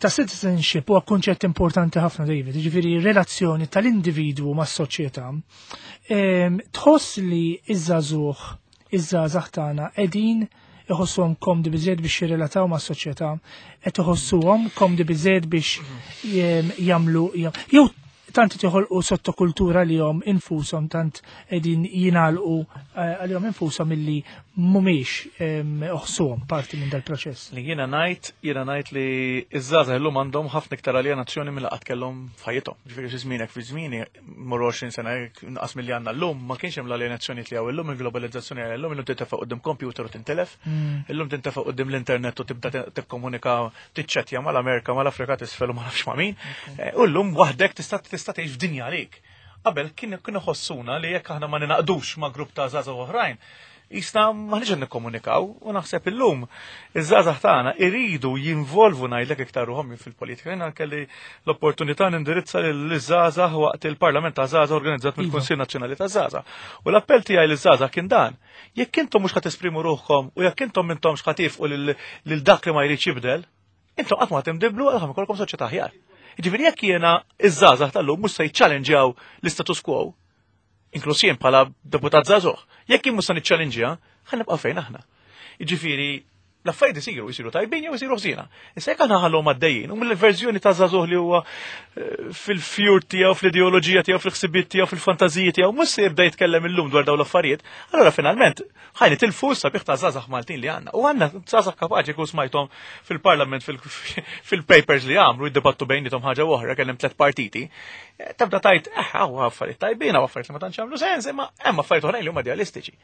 ta' citizenship huwa kunċett importanti ħafna, David, ġifieri relazzjoni tal-individwu mas-soċjetà. Tħoss li iż-żagħżugħ, iż-żgħażagħ tagħna qegħdin iħossuhom komdi biżejjed biex jirrelataw mas-soċjetà, qed iħossuhom komdi biżejjed biex jagħmlu jew tant joħolqu sottokultura li jom infushom, tant qegħdin jingħalqu eh, għalihom infushom illi mhumiex iħossuhom parti minn dal-proċess.
Li jiena ngħid, jiena ngħid li iż-żgħażagħ illum għandhom ħafna iktar aljenazzjoni mill qatt kellhom f'ħajjithom. Ġifieri fi żmienek, fi żmieni, mur għoxrin sena inqas milli għandna llum, ma kienx hemm l-aljenazzjoni li hawn illum, il-globalizzazzjoni għal illum, illum tintefa' quddiem computer u tintelef, mm. illum tintefa' quddiem l-internet u tibda tikkomunika, tiċċettja mal-Amerika, mal-Afrika t'isfel u ma nafx ma' min. Eh, u llum waħdek tista' tista' tgħix f'dinja għalik. Qabel kien kienu ħossuna li jekk aħna ma ninaqdux ma' grupp ta' żgħażagħ oħrajn, jisna maħniex nikkomunikaw, u naħseb illum iż-żgħażagħ tagħna iridu jinvolvu, ngħidlek, iktar ruħhom fil-politika. Jiena kelli l-opportunità nindirizza liż-żgħażagħ waqt il-Parlament ta' Żgħażagħ organizzat mill-Iva. Kunsill Nazzjonali ta' Żgħażagħ. U l-appell tiegħi liż-żgħażagħ kien dan: jekk intom mhux ħa tesprimu ruħkom u jekk intom intom x'ħa tifqu lil dak li ma jridx jibdel, intom qatt ma tinbidlu għal ikollkom soċjetà aħjar. Ġifieri jekk jiena iż-żgħażagħ tal-lum mhux se jiċċallenġjaw l-istatus quo, inkluż jien bħala deputat żagħżugħ, jekk jien mhux se niċċallenġja, ħa nibqa' fejn aħna. Jiġifieri l-affarijiet isiru, jisiru tajbin jew isiru ħżiena. Issa jekk aħna ħallhom għaddejjin, u mill-verżjoni ta' żagħżugħ li huwa eh, fil-fjur tiegħu, fl-ideoloġija tiegħu, fil-ħsibiet tiegħu, fil-fantażiji tiegħu, mhux se jibda jitkellem illum dwar dawn l-affarijiet, allura finalment ħa nitilfu sabiħ ta' żgħażagħ Maltin li għandna. U għandna żgħażagħ kapaċi, kux smajthom fil-parlament, fil-papers li għamlu, jiddibattu bejniethom ħaġa oħra, kellem tliet partiti. Eh, tabda tajt, eh, hawn affarijiet tajbin, hawn affarijiet li ma tantx jagħmlu sens, imma hemm affarijiet oħrajn li huma idealistiċi.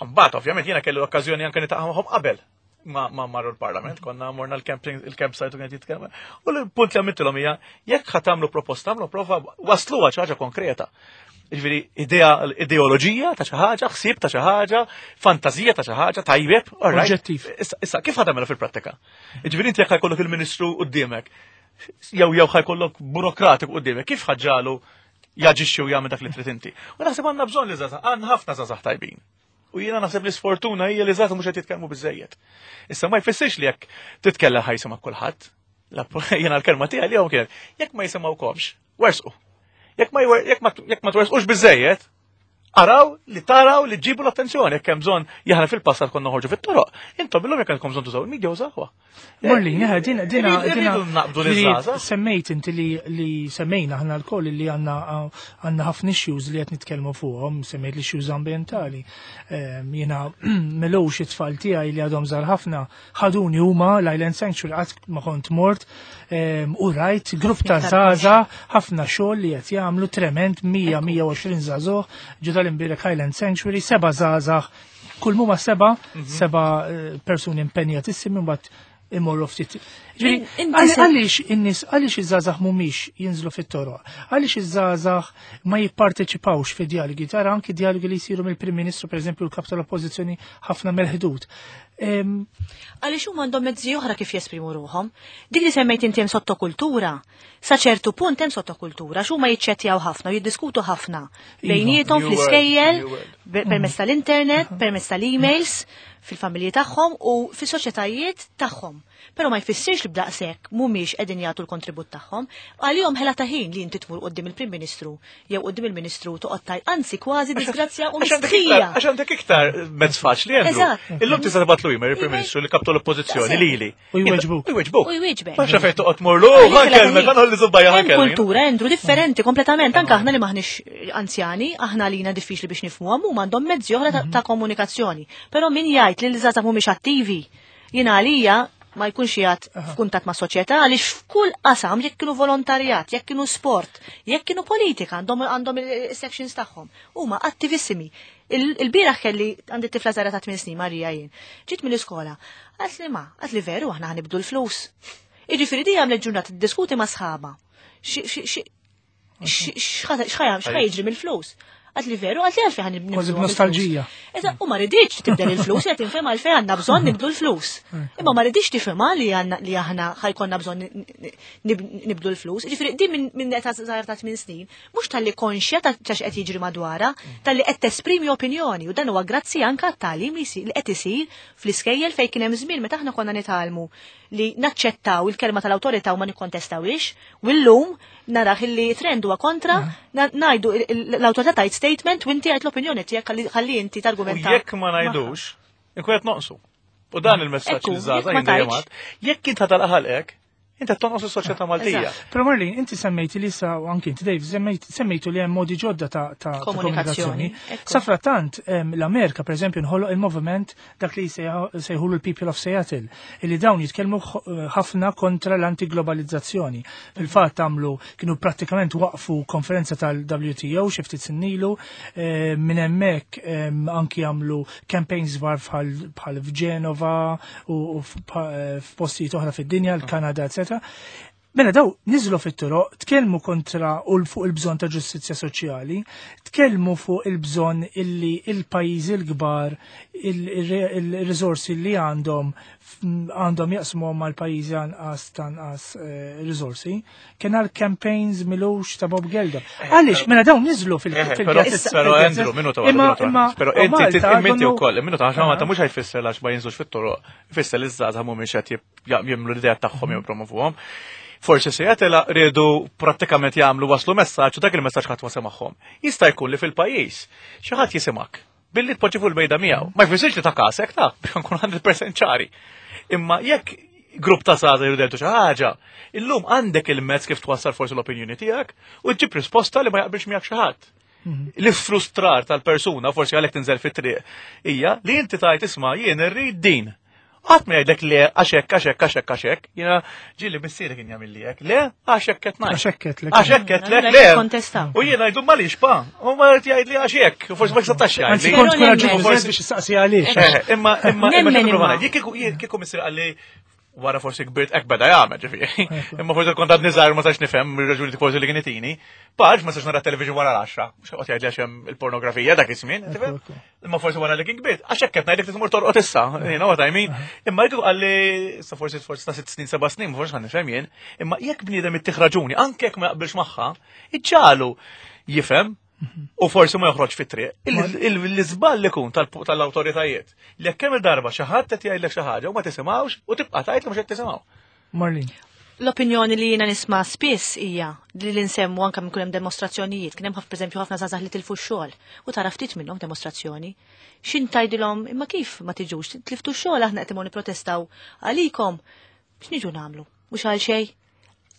Mbagħad ovvjament jiena kellu l-okkażjoni anke niltaqa' magħhom qabel ma ma marru l-parlament, konna morna l-camping, il-campsite u kienet jitkellem. U l-punt li għamiltilhom hija, jekk ħa tagħmlu proposta, għamlu prova wasluha xi ħaġa konkreta. Ġifieri idea, ideoloġija ta' xi ħaġa, ħsieb ta' xi ħaġa, fantażija ta' xi ħaġa, tajjeb, all right.
Oġġettiv.
Issa, issa kif ħa tagħmilha fil-prattika? Ġifieri inti jekk ħa jkollok il-ministru quddiemek, jew jew ħa jkollok burokratiku quddiemek, kif ħa ġġagħlu jaġixxi u jagħmel dak li trid inti? U naħseb għandna bżonn li żgħażagħ, għandna ħafna żgħażagħ tajbin. U jiena naħseb li sfortuna hija li żgħażagħ mhux qed jitkellmu biżejjed. Issa ma jfissirx li jekk titkellem ħa jisma' kulħadd. La- Jiena l-kelma tiegħi li hawn kienet, jekk ma jisimgħukomx, wersqu. Jekk ma jwer- jekk ma jekk ma twersqux biżejjed, araw li taraw li ġibu l-attenzjoni. Jekk hemm bżonn, jaħna fil-passat konna noħorġu fit-toroq. Intom illum jekk għandkom bżonn tużaw il-media, użawha.
Marlene, eh, dina, dina,
Irridu-
dina,
irridu naqbdu
li
liż-żgħażagħ.
Semmejt inti li, li semmejna aħna lkoll li għandna għandna ħafna issues li qed nitkellmu fuqhom, semmejt l-issues ambientali. Ehm, Jiena melux it-tfal tiegħi li għadhom żgħar ħafna ħaduni huma l-Island Sanctuary, qatt ma kont mort ehm, u rajt grupp ta'
Iktar
żgħażagħ, ħafna xogħol li qed jagħmlu trement, mija mija u għoxrin żagħżugħ ġo tal-Imbirek Island Sanctuary, seba' żgħażagħ, kull muma seba, seba eh, persuni impenjatissimi, mbagħad imorru ftit. Ġifieri,
In- inti
għal-
se-
għaliex in-nies, għaliex iż-żgħażagħ mhumiex jinżlu fit-toroq? Għaliex iż-żgħażagħ ma jipparteċipawx fi dialogi? Tara anki dialogi li jsiru mill-Prim Ministru, pereżempju, l-kap tal-Oppożizzjoni, ħafna mill-ħdud. Em,
Għaliex huma għandhom mezzi oħra kif jesprimu ruħhom. Dik li semmejt inti hemm sottokultura. Sa ċertu punt hemm sottokultura, x'huma jiċċettjaw ħafna u jiddiskutu ħafna bejniethom
New
fl-iskejjel,
world, new world.
be- permezz tal-internet, permezz tal-emails, fil-familji tagħhom u fis-soċjetajiet tagħhom. Però ma jfissirx li b'daqshekk mhumiex qegħdin jagħtu l-kontribut tagħhom. Għalihom ħela ta' ħin li inti tmur quddiem il-Prim Ministru jew quddiem il-Ministru toqgħod taj, anzi kważi disgrazzja u
Għax għandek
mistħija.
iktar- Għax għandek iktar mezz faċli, Andrew.
Eżatt.
Illum tista' tibgħatlu email il-Prim Ministru, li kap tal-Oppożizzjoni lili.
U jweġbuk.
U jweġbuk.
U jweġbek.
Ma xafej toqgħod morlu, ħa nkellmek, ħa nħolli żubbajja,
Hemm
ħa nkellmek.
kultura, Andrew, differenti kompletament. Anke aħna li maħniex anzjani, aħna lina diffiċli biex nifhmuhom, huma għandhom mezzi oħra ta'- ta' komunikazzjoni. Però min jgħid li l-żgħażagħ mhumiex attivi, jiena għalija ma jkunx jgħid f'kuntatt ma' soċjetà, għaliex f'kull qasam, jekk kienu volontarjat, jekk kienu sport, jekk kienu politika, għandhom għandhom il-sections tagħhom. Huma attivissimi. Il- Il-bieraħ kelli għandi tifla żgħira ta' tmien snin, Marija jien. Ġiet mill-iskola. Għalt li ma, għalt li veru aħna ħa nibdlu l-flus. Jiġifieri di għamlet ġurnata tiddiskuti ma' sħaba. Xi- xi- xi- x'ħa jiġri mill-flus. Għedtli veru, għedtli għalfejn ħan nibdlu.
Kważi b'nostalġija.
Eżatt, u ma riditx tibdel il-flus, qed tinfhem għalfejn għandna bżonn nibdlu l-flus. Imma ma riditx tifhimha li għandna li aħna ħa jkollna bżonn nibdlu l-flus. Ġifieri din minn minn età żgħira ta' tmien snin, mhux talli konxja ta' x'qed jiġri madwarha, talli qed tesprimi opinjoni u dan huwa grazzi anke għat-tagħlim li li qed isir fl-iskejjel fejn kien hemm żmien meta aħna konna nitgħallmu li naċċettaw il-kelma tal-awtorità u ma nikkontestawix, u llum naraħ li trend huwa kontra, ngħidu l-awtorità tajt statement u inti għajt l-opinjoni tiegħek ħalli inti targumenta.
U jekk ma ngħidux, inkun qed noqsu. U dan il-messaġġ li żgħażagħ jien jekk int ħatalqaħalqek, inti tonqos is-soċjetà Maltija.
Però Marlene, inti semmejti li sa u anki inti Dave, semmejtu li hemm modi ġodda ta' komunikazzjoni. Safrattant l-Amerika, per eżempju, nħoloq il-moviment dak li sejħulu l-People of Seattle, illi dawn jitkellmu ħafna kontra l-antiglobalizzazzjoni. Fil-fatt għamlu kienu prattikament waqfu konferenza tal-W T O xi ftit snin ilu, minn hemmhekk anki għamlu campaigns kbar bħal f'Ġenova u f'postijiet oħra fid-dinja, l-Kanada, eccetera. Mela daw niżlu fit-toroq, tkellmu kontra u fuq il-bżonn ta' ġustizzja soċjali, tkellmu fuq il-bżonn illi il-pajjiżi l-kbar il-riżorsi li għandhom għandhom jaqsmu mal-pajjiżi anqas tanqas riżorsi. Kien għal campaigns milux ta' Bob Geldof. Għaliex, mela dawn niżlu fil-
Però però Andrew, minuta waħda. Però inti inti wkoll, minuta għax Malta mhux ħajfisser għax ma jinżlux fit-toroq, ifisser li ż-żgħażagħ mhumiex qed jimlu l-idea tagħhom jippromovuhom. Forsi Seattle riedu prattikament jagħmlu waslu messaġġ u dak il-messaġġ ħadd ma semagħhom. Jista' jkun li fil-pajjiż xi ħadd jisimak billi tpoġġi fuq il-mejda miegħu. Ma jfissirx li ta' kasek ta' biex nkun mija fil-mija ċari. Imma jekk grupp ta' żgħażagħ jridu xi ħaġa, illum għandek il-mezz kif twassal forsi l-opinjoni tiegħek u ġġib risposta li ma jaqbilx miegħek xi ħadd. L-frustrar tal-persuna, forsi għalhekk tinżel fit-triq, hija li inti tajt isma' jien irrid din. Qatt ma jgħidlek le għaxek, għaxek, għaxek, għaxek, jiena ġieli missieri kien jagħmel li hekk. Le, għaxek qed ngħid.
Għaxek qed lek.
Għaxek qed lek, le.
Kontestaw.
U jiena ngħidu malix pa, u ma jgħid jgħid li għaxek, u forsi ma jistax
Anzi,
jgħid.
kont
Però
kuraġġuż
nemmen.
biex issaqsi għaliex.
Eh, Imma imma imma
Nemmen
xi
imma.
jekk kieku kieku missieri qalli wara forsi kbirt hekk beda jagħmel ġifieri. Imma forsi kont għadni żgħir ma sax nifhem ir-raġuni forsi li kien itini. Paġ ma sax nara television wara l-għaxra. Mhux qed jgħidli għax hemm il-pornografija dak iż-żmien, tifhem?
Ekku, ekku.
Imma forsi wara li kien kbirt, għax hekk qed ngħidlek tmur torqod issa, you know what I mean? Imma jekk qalli sa forsi forsi ta' sitt snin, seba' snin, forsi ħa nifhem jien, imma jekk bniedem ittih raġuni, anke jekk ma jaqbilx magħha, iġġalu jifhem u forsi ma joħroġ fit-triq. L-iżball li kun tal-awtoritajiet li jekk kemm il-darba xi ħadd qed jgħidlek xi ħaġa u ma tisimgħux u tibqa' tgħid li mhux qed tisimgħu.
Marlene.
L-opinjoni li jiena nisma' spiss hija li li nsemmu anke minn hemm demostrazzjonijiet, kien hemm ħafna pereżempju ħafna żgħażagħ li tilfu x-xogħol u tara ftit minnhom demostrazzjoni. X'in tgħidilhom imma kif ma tiġux, tliftu x-xogħol, aħna qed imorru nipprotestaw għalikom. X'niġu nagħmlu? Mhux għal xejn.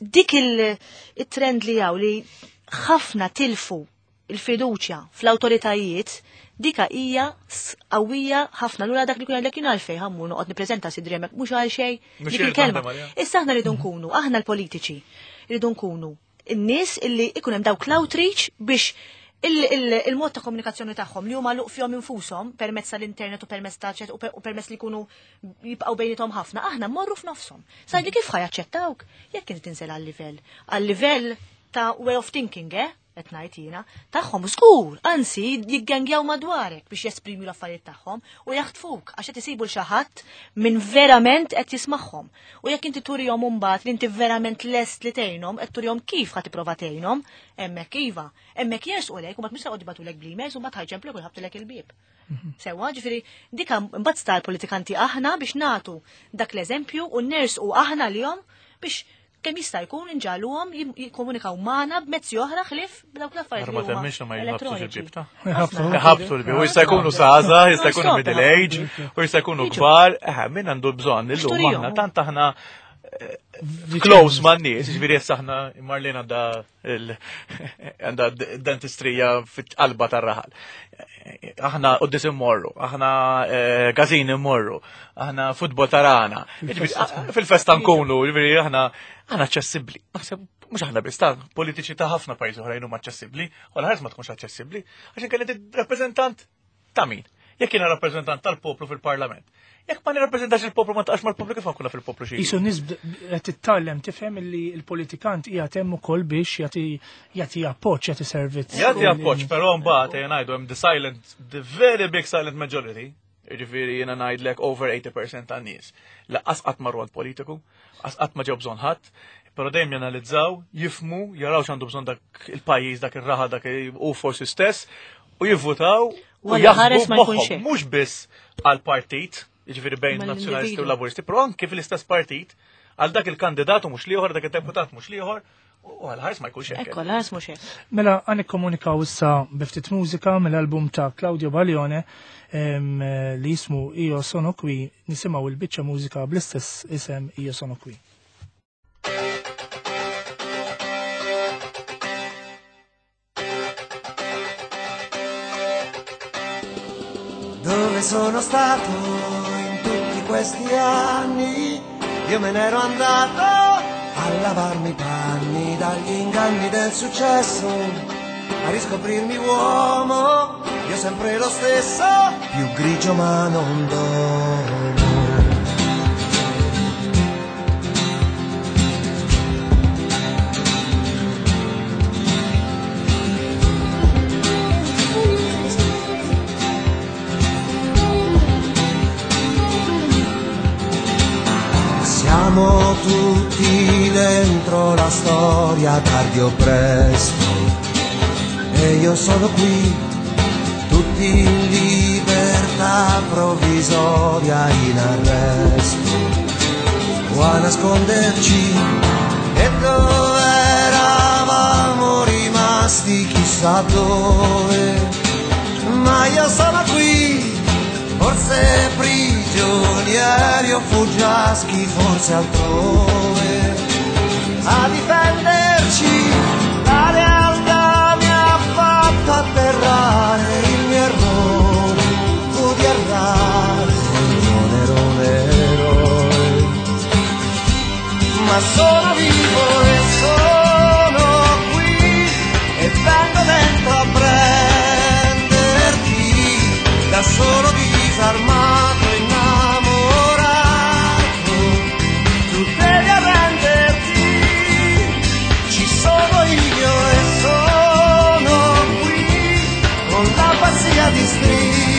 Dik il-trend li hawn li ħafna tilfu il-fiduċja fl-awtoritajiet, dika hija qawwija ħafna. Lura dak li kun għalek jien għalfejn ħammur noqgħod nippreżenta sidri hemmhekk mhux għal xejn.
Mhux
Dik
irrid
il-kelma.
naħdem għaliha.
Issa aħna rridu nkunu, aħna l-politiċi, rridu nkunu n-nies illi ikun hemm dawk l-outreach biex il- il- il-mod ta' komunikazzjoni tagħhom li huma luq fihom infushom permezz tal-internet u permezz ta' chat u per- u permezz li jkunu jibqgħu bejniethom ħafna, aħna mmorru f'nofshom. Sa li kif ħajaċċettawk jekk inti tinżel għal-livell, għal-livell ta' way of thinking, eh? Qed ngħid jiena, tagħhom żgur, anzi jiggangjaw madwarek biex jesprimu l-affarijiet tagħhom u jaħtfuk għax qed isibu l xi ħadd minn verament qed jismagħhom. U jekk inti turihom imbagħad li inti verament lest li tgħinhom, qed turihom kif ħa tipprova tgħinhom, hemmhekk iva, hemmhekk jersqu lejk u mbagħad mhux se jibagħtulek bl-emails u mbagħad ħajġemplek u jħabtulek il-bieb. Sewa, ġifieri, dika mbagħad sta l-politikanti aħna biex nagħtu dak l-eżempju u nersqu aħna lihom biex kemm jista' jkun inġagħluhom jim- jikkomunikaw magħna b'mezzi oħra ħlief b'dawk l-affarijiet
Ma
li huma
temminx li ma jħabtux
elettroniċi.
il-bieb ta'
Jħabtu.
Ħabtu l-bieb, u jista' jkunu żgħażagħ, jista' jkunu
Non-stop
middle age, u jista' jkunu
Jiġu.
kbar, eh, min għandu bżonn illum
Xturihom.
aħna tant aħna eh, close man nies, ġifieri issa aħna Marlene għandha il- għandha dentistrija fit-qalba tar-raħal. Aħna qoddis immorru, aħna eh, gazin immorru, aħna futbol tarana. Ġifieri, ah, fil-festa nkunu, ġifieri aħna aħna aċċessibbli. Naħseb mhux aħna biss ta' politiċi ta' ħafna pajjiżi oħrajn huma aċċessibbli, u l-ħares ma tkunx aċċessibbli, għax inkella inti rappreżentant ta' min? Jekk jiena rappreżentant tal-poplu fil-Parlament, Jekk ma nirrappreżentax il-poplu ma taqax mal-poplu kif nkun fil-poplu xi.
Isu nies qed titgħallem tifhem li l-politikant qiegħed hemm ukoll biex jagħti jagħti appoġġ, jagħti servizz.
Jagħti appoġġ, però mbagħad ejja ngħidu hemm the silent, the very big silent majority, jiġifieri jiena ngħidlek over eighty percent tan-nies. Lanqas qatt marru għand politiku, qas qatt ma ġew bżonn ħadd, però dejjem janalizzaw, jifhmu, jaraw x'għandu bżonn dak il-pajjiż, dak ir-raħa, dak u forsi stess, u jivvutaw u
Walla ħares
jaħsbu
ma jkunx
b'moħħhom,
hekk.
mhux biss għall-partit, jiġifieri bejn
Ma
nazzjonalisti u
l-individwu.
laburisti, però anke fil-istess partit, għal dak il-kandidat u mhux l-ieħor, dak id-deputat mhux l-ieħor, u għal ħares ma jkunx hekk.
Ekku, għal ħares mhux hekk.
Mela għan ikkomunikaw issa bi ftit mużika mill-album ta' Claudio Baglione em, li jismu Io Sono Qui, nisimgħu il-biċċa mużika bl-istess isem Io Sono Qui.
Dove sono stato in tutti questi anni? Io me n'ero andato a lavarmi i panni dagli inganni del successo, a riscoprirmi uomo, io sempre lo stesso, più grigio ma non dormo. Siamo tutti dentro la storia, tardi o presto, e io sono qui, tutti in libertà provvisoria, in arresto, o a nasconderci. E dove eravamo rimasti, chissà dove, ma io sono qui, forse prigionieri o fuggiaschi, forse altrove, a difenderci. La realtà mi ha fatto atterrare, il mio errore fu di errare, non ero un eroe, ma sono vivo e sono qui, e vengo dentro a prenderti, da solo disarmato, innamorato, tu devi arrenderti, ci sono io e sono qui, con la pazzia di stringerti,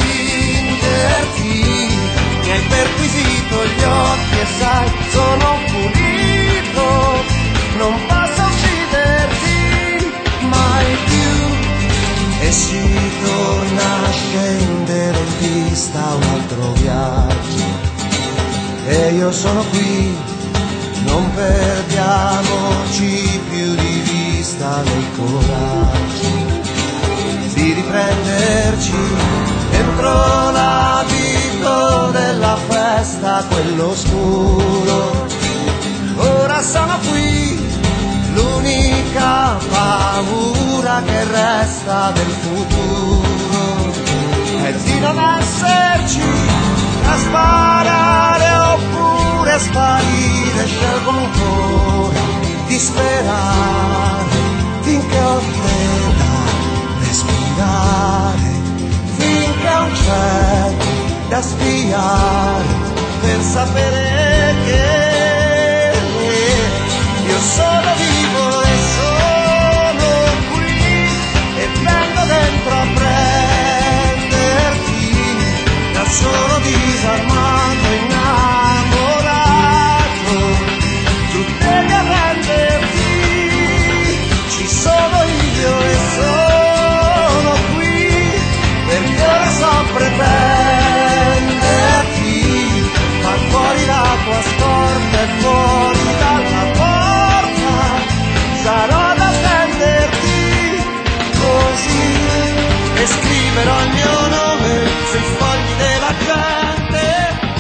mi hai perquisito gli occhi e sai, sono pulito, non posso ucciderti mai più. E si torna a scendere in pista un altro viaggio, e io sono qui, non perdiamoci più di vista nel coraggio di riprenderci dentro l'abito della festa, quello scuro. Ora sono qui, l'unica paura che resta del futuro è di non esserci, a sparare oppure sparire. Scelgo ancora di sperare finché ho te da respirare, finché ho un cielo da spiare, per sapere che io sono vivo e sono qui, e vengo dentro a prenderti, da solo disarmato, innamorato, tu devi arrenderti, ci sono io e sono qui, perché ora so pretenderti, far fuori la tua scorta e fuori dalla porta, sarò ad attenderti così, e scriverò il mio nome sui fogli della gente,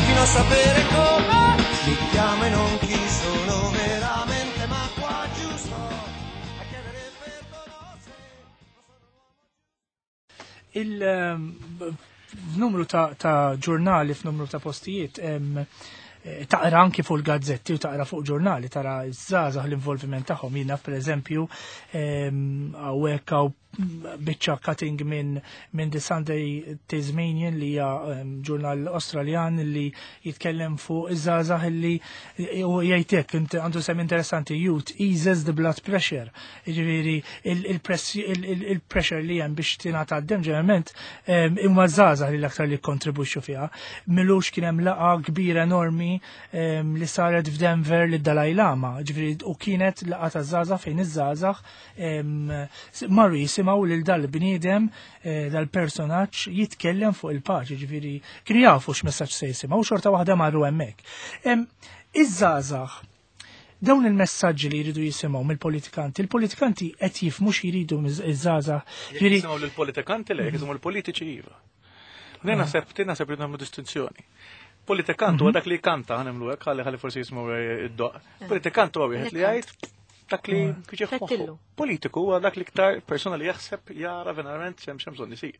fino a sapere come mi chiamo e non chi sono veramente, ma qua giusto a chiedere perdono se
Il ehm, f'numru ta', ta' ġurnali, f'numru ta' postijiet, em, eh, taqra anki fuq il-gazzetti u taqra fuq ġurnali, tara ż-żgħażagħ l-involviment tagħhom. Jiena pereżempju, em, hawnhekk hawn biċċa cutting minn min The Sunday Tasmanian li hija ġurnal Australjan li jitkellem fuq iż-żgħażagħ li u jgħidlek għandu sem interessanti, "Youth eases the blood pressure." Jiġifieri il-pressure li hemm biex tingħata d-dem ġeneralment imma żgħażagħ li l-aktar li kontribwixxu fiha. M'ilux kien hemm laqgħa kbira enormi li saret f'Denver li Dalai Lama, ġifieri u kienet laqgħa ta' żgħażagħ fejn iż-żgħażagħ marru jisimgħu lil dal-bniedem, eh, dal-personaġġ jitkellem fuq il-paċi, ġifieri kienu jafu x'messaġġ se jisimgħu, xorta waħda marru hemmhekk. Iż-żgħażagħ dawn il-messaġġi li jridu jisimgħu mill-politikanti, il-politikanti qed jifhmu x'jridu iż-żgħażagħ.
Jisimgħu lill-politikanti le, jisimgħu l-politiċi iva. Jien naħseb, naħseb li nagħmlu distinzjoni. Politikant huwa dak li kanta, ħa nagħmlu hekk, ħalli ħalli forsi jisimgħu id-doq. Politikant huwa wieħed li jgħid dak li kieġi. Politiku huwa dak li iktar persona li jaħseb, jara verament xem xem bżonn isir.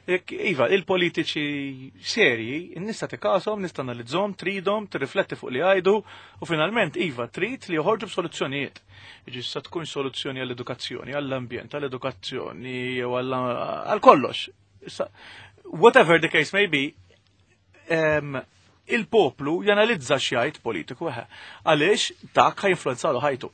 Iva, il-politiċi serji, nista' tikasom, nista' analizzhom, tridhom, tirrifletti fuq li jgħidu u finalment iva trid li joħorġu b'soluzzjonijiet. Jiġi sa tkun soluzzjoni għall-edukazzjoni, għall-ambjent, għall-edukazzjoni, jew għal kollox. Whatever the case may be, il-poplu janalizza x'jgħid politiku eħe. Għaliex dak ħa jinfluwenzalu ħajtu.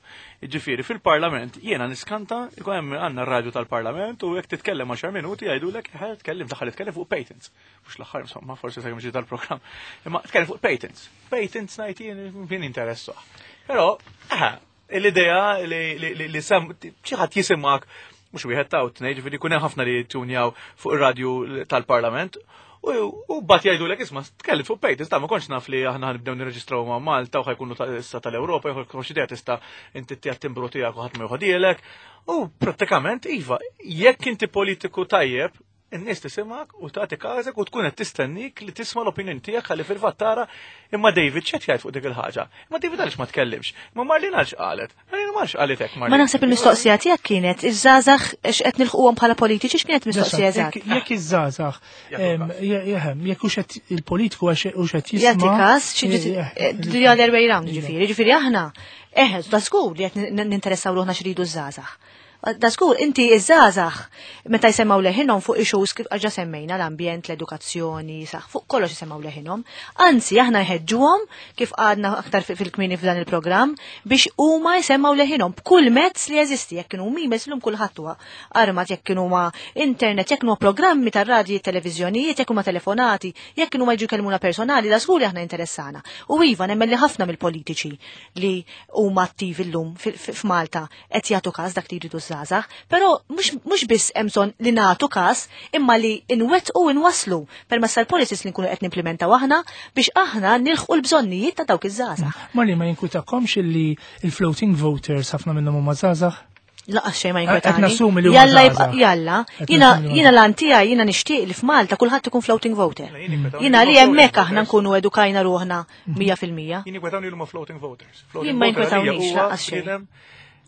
Ġifieri fil-parlament jiena niskanta, ikun hemm għandna r-radju tal-parlament u jekk titkellem għaxar minuti jgħidulek eħe tkellem daħal titkellem fuq patents. Mhux l-aħħar insomma, forsi sa kemm tal-programm. Imma tkellem fuq patents. Patents ngħid jien min interessah. Però eħe, l-idea li li sam xi ħadd jisimgħek mhux wieħed ta' tnejn, ġifieri jkun hemm ħafna li tunjaw fuq ir-radju tal-parlament. U bat jgħidu l isma, tkellem fuq patents, ta' ma kontx naf li aħna nibdew nirreġistraw ma' Malta u ħa jkunu issa tal-Ewropa, jew kontx idea tista' inti tija timbru tiegħek u ħadd ma joħodielek. U prattikament iva, jekk inti politiku tajjeb, in-nies tisimgħek u tagħti każek u tkun qed tistennik li tisma' l-opinjoni tiegħek ħalli fil-fatt tara imma David x'qed jgħid fuq dik il-ħaġa. Imma David għaliex ma tkellimx? Imma Marlene għalx qalet? Marlene għalx qalet hekk?
Ma naħseb il-mistoqsija tiegħek kienet iż-żgħażagħ x'qed nilħquhom bħala politiċi, x'kienet mistoqsija eżatt?
Jekk iż-żgħażagħ jehem, jekk hux qed il-politiku hux qed jisma'.
Jagħti każ, the other way round ġifieri, ġifieri aħna eħe, da żgur li qed ninteressaw ruħna x'ridu ż-żgħażagħ. Da żgur, inti iż-żgħażagħ meta jsemmaw leħinhom fuq issues kif ġa semmejna, l-ambjent, l-edukazzjoni, saħ fuq kollox jisemmaw leħinhom. Anzi, aħna jħeġġuhom kif għadna aktar fil-kmini f'dan il-programm biex huma jsemmaw leħinhom b'kull mezz li jeżisti, jekk kienu emails, illum kulħadd huwa armat, jekk kienu ma internet, jekk kienu programmi tar-radji, televiżjonijiet, jekk huma telefonati, jekk kienu ma jiġu jkellmuna personali, da żgur li aħna interessana. U iva, nemmen li ħafna mill-politiċi li huma attivi llum f'Malta qed jagħtu każ dak li jridu żgħażagħ, però mhux biss hemm bżonn li nagħtu każ imma li nwettqu u nwasslu permezz tal-policies li nkunu qed nimplementaw aħna biex aħna nilħqu l-bżonnijiet ta' dawk iż-żgħażagħ.
Marli, ma jinkwitakomx illi il-floating voters ħafna minnhom huma żgħażagħ?
Lanqas xejn ma jinkwetani. Jalla, jalla. Jiena jiena l-antija jiena nixtieq li f'Malta kulħadd ikun floating voter. Jiena li hemmhekk aħna nkunu edukajna ruħna mija fil-mija.
Jien jinkwetawni huma floating voters.
Jien ma jinkwetawnix lanqas xejn.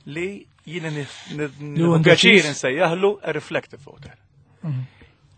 Li jiena pjaċir nsejjaħlu a reflective voter.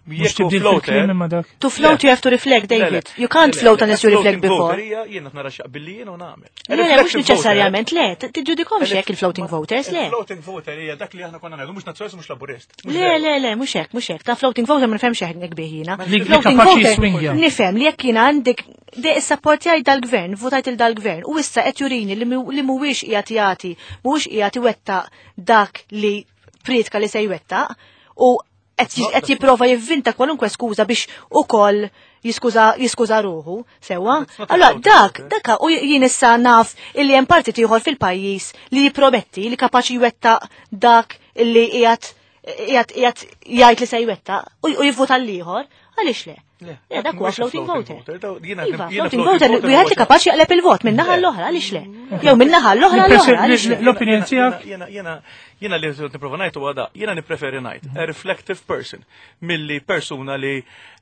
Mhux tibdil fil-kliem imma dak.
To float you have to reflect, David. You can't float unless you reflect before.
Jiena nara x'jaqbilli jien u nagħmel.
Le, le, mhux neċessarjament, le, tiġġudikomx hekk il-floating voters, le.
Floating voter hija dak li aħna konna ngħidu mhux nazzjonalist, mhux laburist.
Le, le, le, mhux hekk, mhux hekk. Ta' floating voter ma nifhemx hekk bih jiena.
Li
Floating
kapaċi
voter
jiswingja.
nifhem li jekk jiena għandek de issapportjaj dal-gvern, votajt il dal-gvern, u issa qed jurini li mhuwiex qiegħed jagħti, mhuwiex qiegħed iwettaq dak li pritka li se jwettaq, u qed jipprova jivvinta kwalunkwe skuża biex ukoll jiskuża jiskuża ruħu, sewwa. Allora dak, dak u jien issa naf illi hemm partit ieħor fil-pajjiż li jipprometti li kapaċi jwettaq dak illi qiegħed qiegħed qiegħed jgħid li se jwettaq u jivvota l-ieħor, għaliex le? Le, dak huwa floating voter. Iva, floating voter, wieħed li kapaċi jaqleb il-vot minn naħa l-oħra, għaliex le? Jew minn naħa l-oħra l-oħra, għaliex le?
L-opinjoni tiegħek?
Jiena jiena jiena li nipprova ngħid huwa da, jiena nippreferi ngħid a reflective person milli persuna li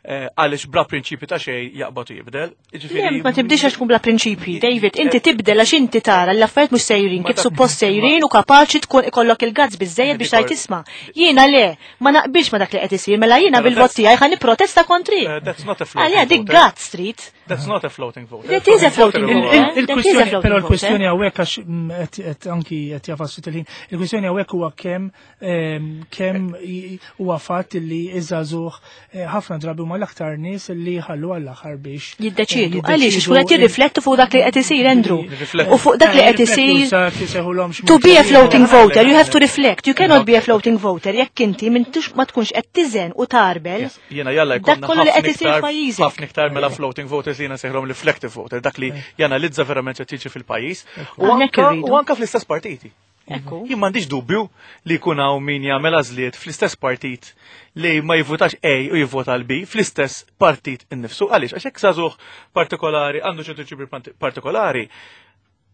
għaliex bla prinċipi ta' xejn jaqbad u jibdel.
Le, ma tibdilx għax tkun bla prinċipji, David, inti tibdel għax inti tara l-affarijiet mhux sejrin kif suppost sejrin u kapaċi tkun ikollok il-guts biżejjed biex tgħid tisma'. Jiena le, ma naqbilx ma dak li qed isir, mela jiena bil-vot tiegħi ħa nipprotesta kontri.
That's not a floating
Għalija dik guts street.
That's not a floating voter.
That is a floating
Huwa-
voter. That is a
Il-kwistjoni,
floating
però
voter.
l-kwistjoni hawnhekk għax mm, qed qed anki qed jagħfas ftit il-ħin, il-kwistjoni hawnhekk huwa kemm ehm, kemm i- huwa fatt li iż-żagħżugħ eh, ħafna drabi huma l-aktar nies li ħallu għall-aħħar biex eh,
Jiddeċidu. Għaliex, xkun qed jirriflettu fuq dak li qed isir, Andrew.
Jirriflettu.
U fuq dak li qed isir. To be a floating voter, you have to reflect. You cannot be a floating voter jekk inti m'intix ma tkunx qed tiżen u tarbel.
Yes, Jiena jalla
Dak
jkollna
kollu li
ħafna
qed isir
iktar-
f'pajjiżek.
ħafna iktar mela floating voters li jiena nsejħilhom reflective voter, dak li janalizza verament x'qed jiġri fil-pajjiż. U
Hawnhekk
anka
irridu.
u anka fl-istess partiti.
Ekku.
Jien m'għandix dubju li jkun hawn min jagħmel għażliet fl-istess partit li ma jivvutax A u jivvota l-B fl-istess partit innifsu. Għaliex, għax hekk żagħżugħ partikolari għandu ċertu ġibri partikolari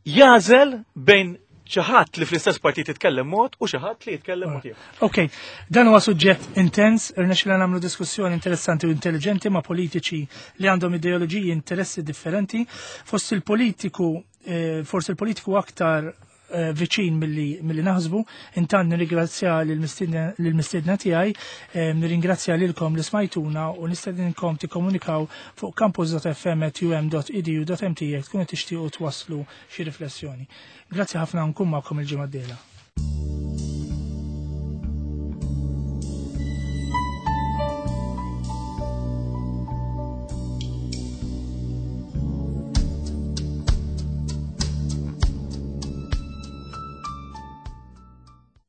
jagħżel bejn xi ħadd li fl-istess partit jitkellem mod u xi ħadd li jitkellem mod ieħor.
Ok, dan huwa suġġett intens, irnexxilna nagħmlu diskussjoni interessanti u intelligenti ma' politiċi li għandhom ideoloġiji interessi differenti. Fost il-politiku, eh, forsi il-politiku aktar eh, viċin milli milli naħsbu, intant nirringrazzja lill-mistiedna tiegħi, eh, nirringrazzja lilkom li smajtuna u nistedinkom tikkomunikaw fuq campus dot F M at U M dot E D U dot M T jekk tkunu tixtiequ twasslu xi riflessjoni. Grazzi ħafna, nkun magħkom il-ġimgħa d-dieħla.